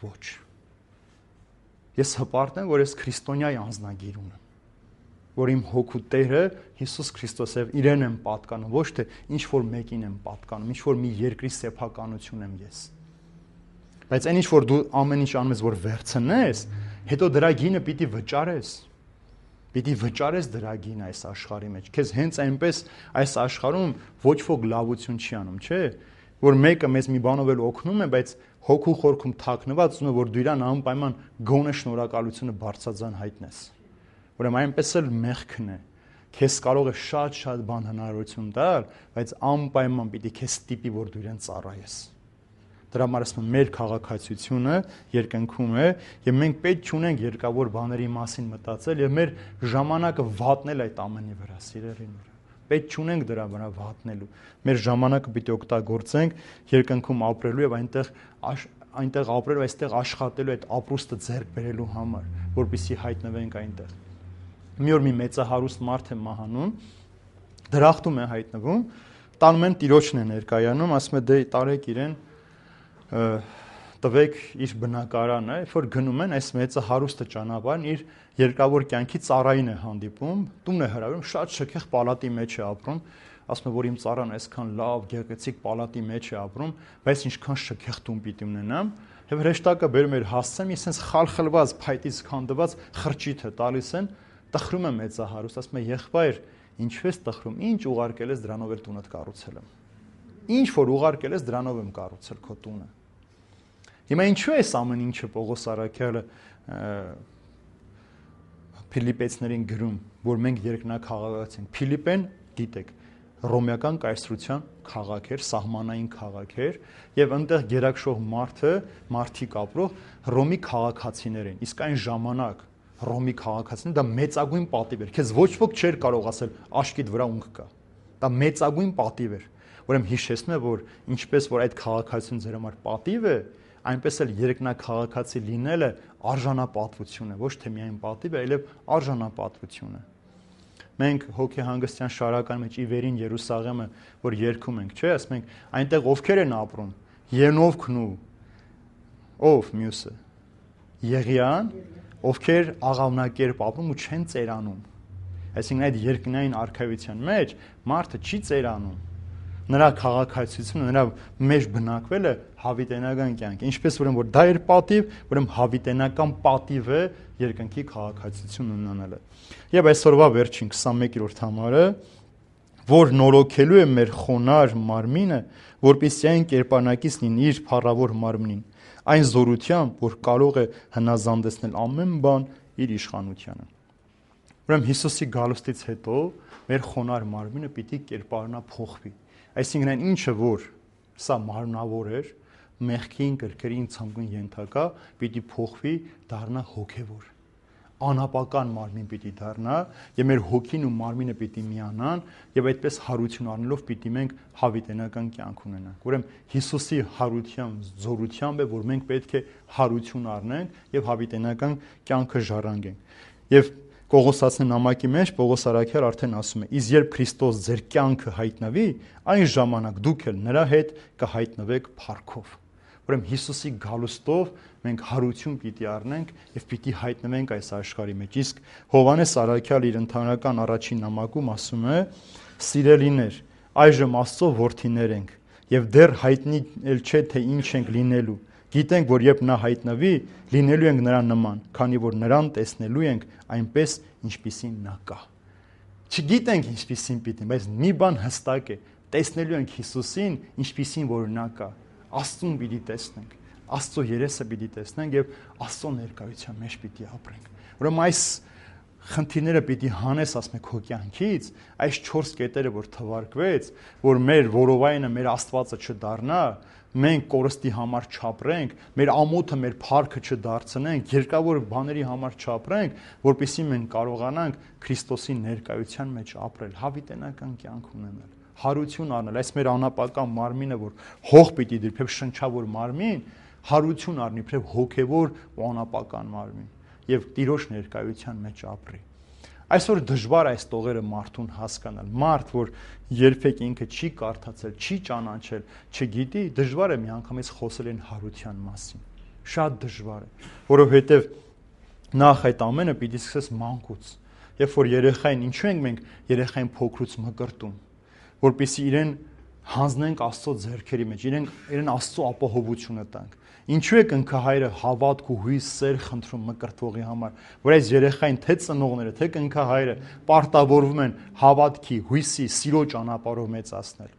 Ոչ։ Ես հպարտ եմ, որ ես քրիստոնյայի անձնագիր ունեմ, որ իմ հոգու Տերը Հիսուս Քրիստոս է, իրեն եմ պատկանում, ոչ թե ինչ որ մեկին եմ պատկանում, ինչ որ մի երկրի սեփականություն եմ ես։ Բայց այն ինչ որ դու ամեն ինչ անում ես, որ վերցնես, հետո դրա գինը պիտի վճարես։ Պիտի վճարես դրա գինը այս աշխարհի մեջ։ Քեզ հենց այնպես այս աշխարհում ոչ ոք լավություն չի անում, չէ՞։ Որ մեկը մեզ մի բանով էլ օգնում է, բայց հոգու խորքում թաքնված ուզում է, որ դու իրան անպայման գոնե շնորհակալությունը բարձրացան հայտնես։ Ուրեմն այնպես էլ մեղքն է։ Քեզ կարող է շատ-շատ բան հնարավորություն տալ, բայց անպայման պիտի քեզ ստիպի, որ դու իրեն ծառայես։ Դրա համար ասում եմ, մեր քաղաքացիությունը երկնքում է, եւ մենք պետք չունենք երկավոր բաների մասին մտածել եւ մեր ժամանակը վատնել այդ ամենի վրա, սիրելին վրա։ Պետք չունենք դրա վրա վատնելու։ Մեր ժամանակը պիտի օգտագործենք երկնքում ապրելու եւ այնտեղ այնտեղ ապրելու, այստեղ աշխատելու, այդ ապրուստը ձեռք բերելու համար, որպեսզի հայտնվենք այնտեղ։ Մի օր մի մեծահարուստ մարդ է մահանում, դրախտում է հայտնվում, տանում են տիրոջն է ներկայանում, ասում է դե տարեք իրեն, տվեք իր բնակարանը, երբ որ գնում են, այս մեծահարուստը ճանապարհն իր երկավոր կյանքի ծառային է հանդիպում, տուն է հրավիրում, շատ շքեղ պալատի մեջ է ապրում, ասում է, որ իմ ծառան այսքան լավ, գեղեցիկ պալատի մեջ է ապրում, բայց ինչքան շքեղ տուն պիտի ունենամ, եւ հրեշտակը բերում էր հասցեմ, ես sense խալխլված, փայտից քանդված խրճիթ է տալիս են, տխրում է մեծահարուստ, ասում է, եղբայր, ինչու ես տխրում, ինչ ուղարկել ես դրանով էլ տունդ կառուցել եմ։ Ինչ որ ուղարկել ես դրանով եմ կառուցել քո տունը։ Հիմա ինչու է այս ամեն ինչը Պողոս Առաքյալը Փիլիպեցներին գրում, որ մենք երկնաքաղաքացի ենք։ Փիլիպեն, գիտեք, ռոմեական կայսրության քաղաք էր, սահմանային քաղաք էր, եւ այնտեղ գերակշռող մարդը, մարդիկ ապրող Ռոմի քաղաքացիներ են։ Իսկ այն ժամանակ Ռոմի քաղաքացիները դա մեծագույն պատիվ էր։ Քեզ ոչ ոք չէր կարող ասել աշկիդ վրա ունք կա։ Դա մեծագույն պատիվ էր։ Ուրեմն հիշեցնում է, որ ինչպես որ այդ քաղաքացիությունը ձեր համար պատիվ է, այնպես էլ երկնաքաղաքացի լինելը արժանապատվություն է, ոչ թե միայն պատիվ է, այլև արժանապատվություն է։ Մենք հոգեհանգստյան շարականի մեջ ի վերին Երուսաղեմը, որ երգում ենք, չէ՞, ասում ենք, այնտեղ ովքեր են ապրում։ Ենովքն ու ով մյուսը։ Եղիան, ովքեր աղավնակերպ ապրում ու չեն ծերանում։ Այսինքն այդ երկնային արքայության մեջ մարդը չի ծերանում։ Նրա քաղաքացիությունը, նրա մեջ բնակվելը հավիտենական կյանք է։ Ինչպես ուրեմն որ դա էր պատիվ, ուրեմն հավիտենական պատիվ է երկնքի քաղաքացիություն ունենալը։ Եվ այսօրվա վերջին քսանմեկերորդ համարը, որ նորոգելու է մեր խոնար մարմինը, որպեսզի այն կերպանակից լինի իր փառավոր մարմնին, այն զորությամբ, որ կարող է հնազանդեցնել ամեն բան իր իշխանությանը։ Ուրեմն Հիսուսի գալուստից հետո մեր խոնար մարմինը պիտի կերպարանա փոխվի։ Այսինքն այն ինչը որ սա մարմնավոր էր, մեղքին, կրկերին, ցանկուն ենթակա, պիտի փոխվի, դառնա հոգևոր։ Անապական մարմին պիտի դառնա, եւ մեր հոգին ու մարմինը պիտի միանան, եւ այդպես հարություն առնելով պիտի մենք հավիտենական կյանք ունենանք։ Ուրեմն Հիսուսի հարությամբ, զորությամբ է, որ մենք պետք է հարություն առնենք եւ հավիտենական կյանքը ժառանգենք։ Եվ Կողոսացի նամակի մեջ Պողոս Առաքյալ արդեն ասում է. «Իսկ երբ Քրիստոս ձեր կյանքը հայտնվի, այն ժամանակ դուք էլ նրա հետ կհայտնվեք փառքով»։ Ուրեմն Հիսուսի գալուստով մենք հարություն պիտի առնենք եւ պիտի հայտնվենք այս աշխարհի մեջ։ Իսկ Հովհաննես Առաքյալը իր ընդհանրական առաջին նամակում ասում է. «Սիրելիներ, այժմ Աստծո որդիներ ենք եւ դեռ հայտնի էլ չէ թե ինչ ենք լինելու։ Գիտենք, որ երբ նա հայտնվի, լինելու ենք նրան նման, քանի որ նրան տեսնելու ենք այնպես, ինչպիսին նա կա»։ Չգիտենք ինչպիսին պիտի, բայց մի բան հստակ է, տեսնելու ենք Հիսուսին, ինչպիսին որ նա կա։ Աստծուն պիտի տեսնենք, Աստծո երեսը պիտի տեսնենք եւ Աստծո ներկայության մեջ պիտի ապրենք։ Ուրեմն այս խնդիրները պիտի հանես, ասում եք, քո կյանքից, այս չորս կետերը, որ թվարկվեց, որ մեր որովայնը, մեր Աստվածը չդառնա, մենք կորստի համար չապրենք, մեր ամոթը, մեր փառքը չդարձնենք, երկավոր բաների համար չապրենք, որպեսզի մենք կարողանանք Քրիստոսի ներկայության մեջ ապրել, հավիտենական կյանք ունենալ, հարություն առնել, այս մեր անապական մարմինը, որ հող պիտի դի, իբրև շնչավոր մարմին, հարություն առնի, իբրև հոգևոր ու անապական մարմին եւ Տիրոջ ներկայության մեջ ապրի։ Այսօր դժվար է այս տողերը մարդուն հասկանալ։ Մարդ, որ երբեք ինքը չի կարդացել, չի ճանաչել, չգիտի, դժվար է միանգամից խոսել այն հարության մասին։ Շատ դժվար է, որովհետեւ նախ այդ ամենը պիտի սկսես մանկուց։ Երբ որ երեխային, ինչու ենք մենք երեխային փոքրուց մկրտում, որպեսզի իրեն հանձնենք Աստծո ձեռքերի մեջ, իրեն իրեն Աստծո ապահովությունը տանք։ Ինչու է կնքահայրը հավատք ու հույս սեր խնդրում մկրտվողի համար, որ այս երեխային թե ծնողները, թե կնքահայրը պարտավորվում են հավատքի, հույսի, սիրո ճանապարհով մեծացնել։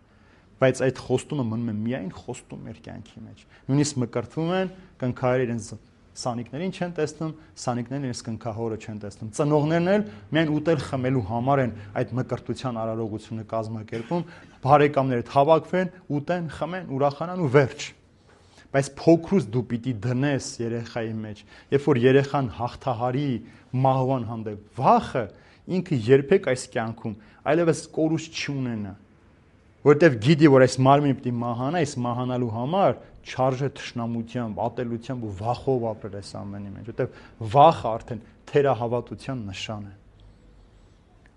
Բայց այդ խոստումը մնում է միայն խոստում մեր կյանքի մեջ։ Նույնիսկ մկրտվում են, կնքահայրը իրենց սանիկներին չեն տեսնում, սանիկներն իրենց կնքահորը չեն տեսնում։ Ծնողներն էլ միայն ուտել խմելու համար են այդ մկրտության արարողությունը կազմակերպում, բարեկամները հավաքվեն, ուտեն, խմեն, ուրախանան ու վերջ։ Բայց փոքրուց դու պիտի դնես երեխայի մեջ, երբ որ երեխան հաղթահարի մահվան հանդեպ, վախը ինքը երբեք այս կյանքում այլևս կորուստ չունենա, որովհետև գիտի, որ այս մարմինը պիտի մահանա, այս մահանալու համար չարժե թշնամությամբ, ատելությամբ ու վախով ապրել այս ամենի մեջ, որովհետև վախը արդեն թերահավատության նշան է։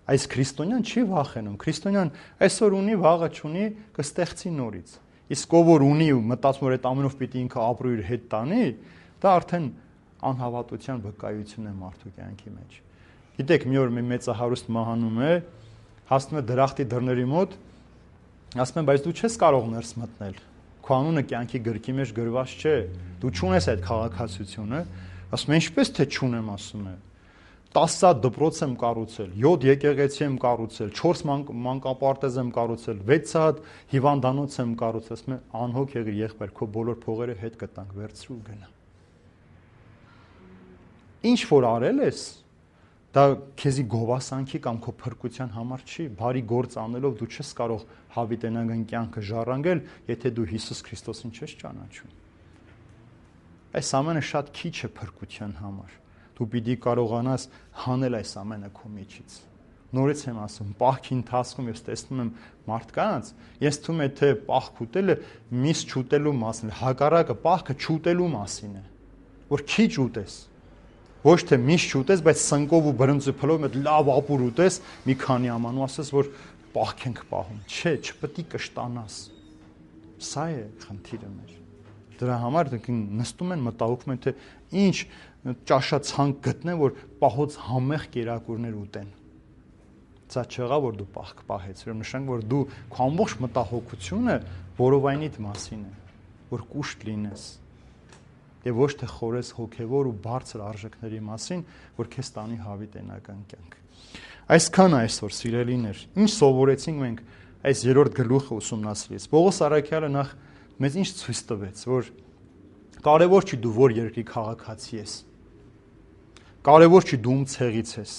Այս քրիստոնյան չի վախենում, քրիստոնյան այսօր ունի, վաղը չունի, կստեղծի նորից։ Իսկ ով որ ունի ու մտածում որ այդ ամենով պիտի ինքը ապրի իր հետ տանի, դա արդեն անհավատության վկայություն է մարդու կյանքի մեջ։ Գիտեք, մի օր մի մեծահարուստ մահանում է, հասնում է դրախտի դռների մոտ, ասում են, բայց դու չես կարող ներս մտնել։ Քո անունը կյանքի գրքի մեջ գրված չէ։ Դու չունես այդ քաղաքացիությունը։ Ասում է, ինչպես թե չունեմ, ասում է։ տասը հատ դպրոց եմ կառուցել, յոթ եկեղեցի եմ կառուցել, չորս մանկապարտեզ եմ կառուցել, վեց հատ հիվանդանոց եմ կառուցել, ասում է, անհոգ եղիր եղբայր, քո բոլոր փողերը հետ կտանք, վերցրու գնա։ Ինչ որ արել ես, դա քեզի գովասանքի կամ քո փրկության համար չի, բարի գործ անելով դու չես կարող հավիտենական կյանքը ժառանգել, եթե դու Հիսուս Քրիստոսին չես ճանաչում։ Այս ամենը շատ քիչ է փրկության համար։ Դու պիտի կարողանաս հանել այս ամենը քո միջից։ Նորից եմ ասում, պահքի ընթացքում ես տեսնում եմ մարդկանց, ես թվում է թե պահք ուտելը միս չուտելու մասին է, հակառակը պահքը չուտելու մասին է, որ քիչ ուտես, ոչ թե միս չուտես, բայց սնկով ու բրնձի փլով մեծ լավ ապուր ուտես, մի քանի ամանու ասես, որ պահք ենք պահում։ Չէ, չպետք է կշտանաս։ Սա է խնդիրը մեր։ Դրա համար նստում են, մտահոգում են, թե ինչ ճաշացանկ գտնեն, որ պահոց համեղ կերակուրներ ուտեն։ Սա չեղա, որ դու պահք պահեց, ուրեմն նշանք, որ դու քո ամբողջ մտահոգությունը որովայնիդ մասին է, որ կուշտ լինես, եւ ոչ թե խորես հոգեվոր ու բարձր արժեքների մասին, որ քեզ տանի հավիտենական կյանք։ Այսքան այսօր, սիրելիներ, ինչ սովորեցինք մենք այս երրորդ գլուխը ուսումնասիրից։ Պողոս առաքյալը նախ մեզ ինչ ցույց տվեց, որ կարևոր չի դու որ երկրի քաղաքացի ես։ Կարևոր չի դու ում ցեղից ես,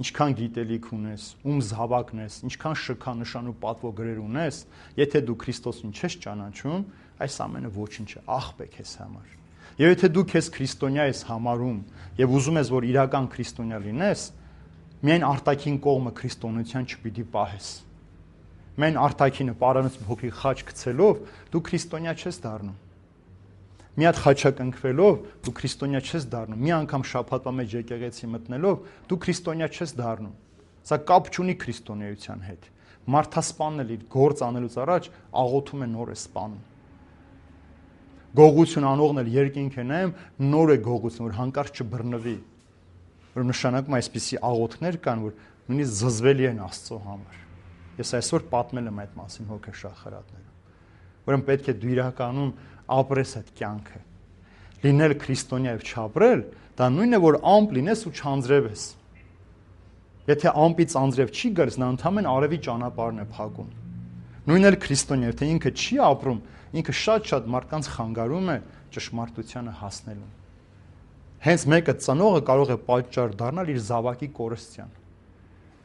ինչքան գիտելիք ունես, ում զավակն ես, ինչքան շքանշան ու պատվոգրեր ունես, եթե դու Քրիստոսին չես ճանաչում, այս ամենը ոչինչ է, աղբ է քեզ համար։ Եվ եթե դու քեզ քրիստոնյա ես համարում եւ ուզում ես որ իրական քրիստոնյա լինես, միայն արտաքին կողմը քրիստոնեության չպիտի պահես։ Միայն արտաքինը պարանից փոքրիկ խաչ գցելով դու քրիստոնյա չես դառնում։ Մի հատ խաչակնքվելով դու քրիստոնյա չես դառնում։ Մի անգամ շաբաթվա մեջ եկեղեցի մտնելով դու քրիստոնյա չես դառնում։ Սա կապ չունի քրիստոնեության հետ։ Մարդասպանն էլ իր գործ անելուց առաջ աղոթում է նոր է սպանում։ գողություն անողն էլ երկինք է նայում, նոր է գողություն, որ հանկարծ չբռնվի։ Որ նշանակում այսպիսի աղոթքներ կան, որ նույնիսկ զզվելի են Աստծո համար։ Ես այսօր պատմել եմ այդ մասին հոգեշախրատներում։ Ուրեմն պետք է դու իրականում ապրես այդ կյանքը։ Լինել քրիստոնյա եւ չապրել, դա նույնն է, որ ամպ լինես ու չանձրևես։ Եթե ամպից անձրև չի գալիս, նա ընդհանրեն արևի ճանապարհն է փակում։ Նույնն էլ քրիստոնյա, եթե ինքը չի ապրում, ինքը շատ-շատ մարդկանց խանգարում է ճշմարտությանը հասնելուն։ Հենց մեկը ծնողը կարող է պատճառ դառնալ իր զավակի կորստյան։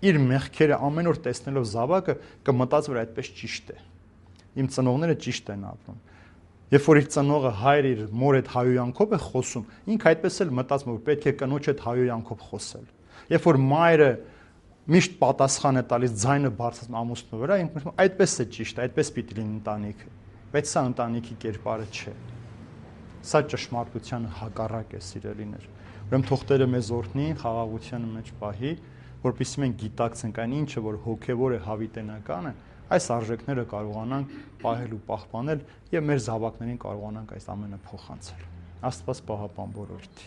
Իր մեղքերը ամեն օր տեսնելով զավակը կմտածի, որ այդպես ճիշտ է։ Իմ ծնողները ճիշտ են ապրում։ Երբ որ իր ծնողը հայրը իր մոր հետ հայոյանքով է խոսում, ինքը այդպես էլ մտածում է, որ պետք է կնոջ հետ հայոյանքով խոսել։ Երբ որ մայրը միշտ պատասխան է տալիս ձայնը բարձրացնում ամուսնու վրա, ինքը ասում է այդպես է ճիշտ, այդպես պիտի լինի ընտանիքը։ Բայց սա ընտանիքի կերպարը չէ։ Սա ճշմարտությանը հակառակ է, սիրելիներ։ Ուրեմն թող Տերը մեզ օրհնի, խաղաղության մեջ պահի, որպեսզի մենք գիտակցենք այն ինչը, որ հոգևոր է, հավիտենական է, այս արժեքները կարողանանք պահել ու պահպանել եւ մեր զավակներին կարողանանք այս ամենը փոխանցել։ Աստված պահապան բոլորիդ։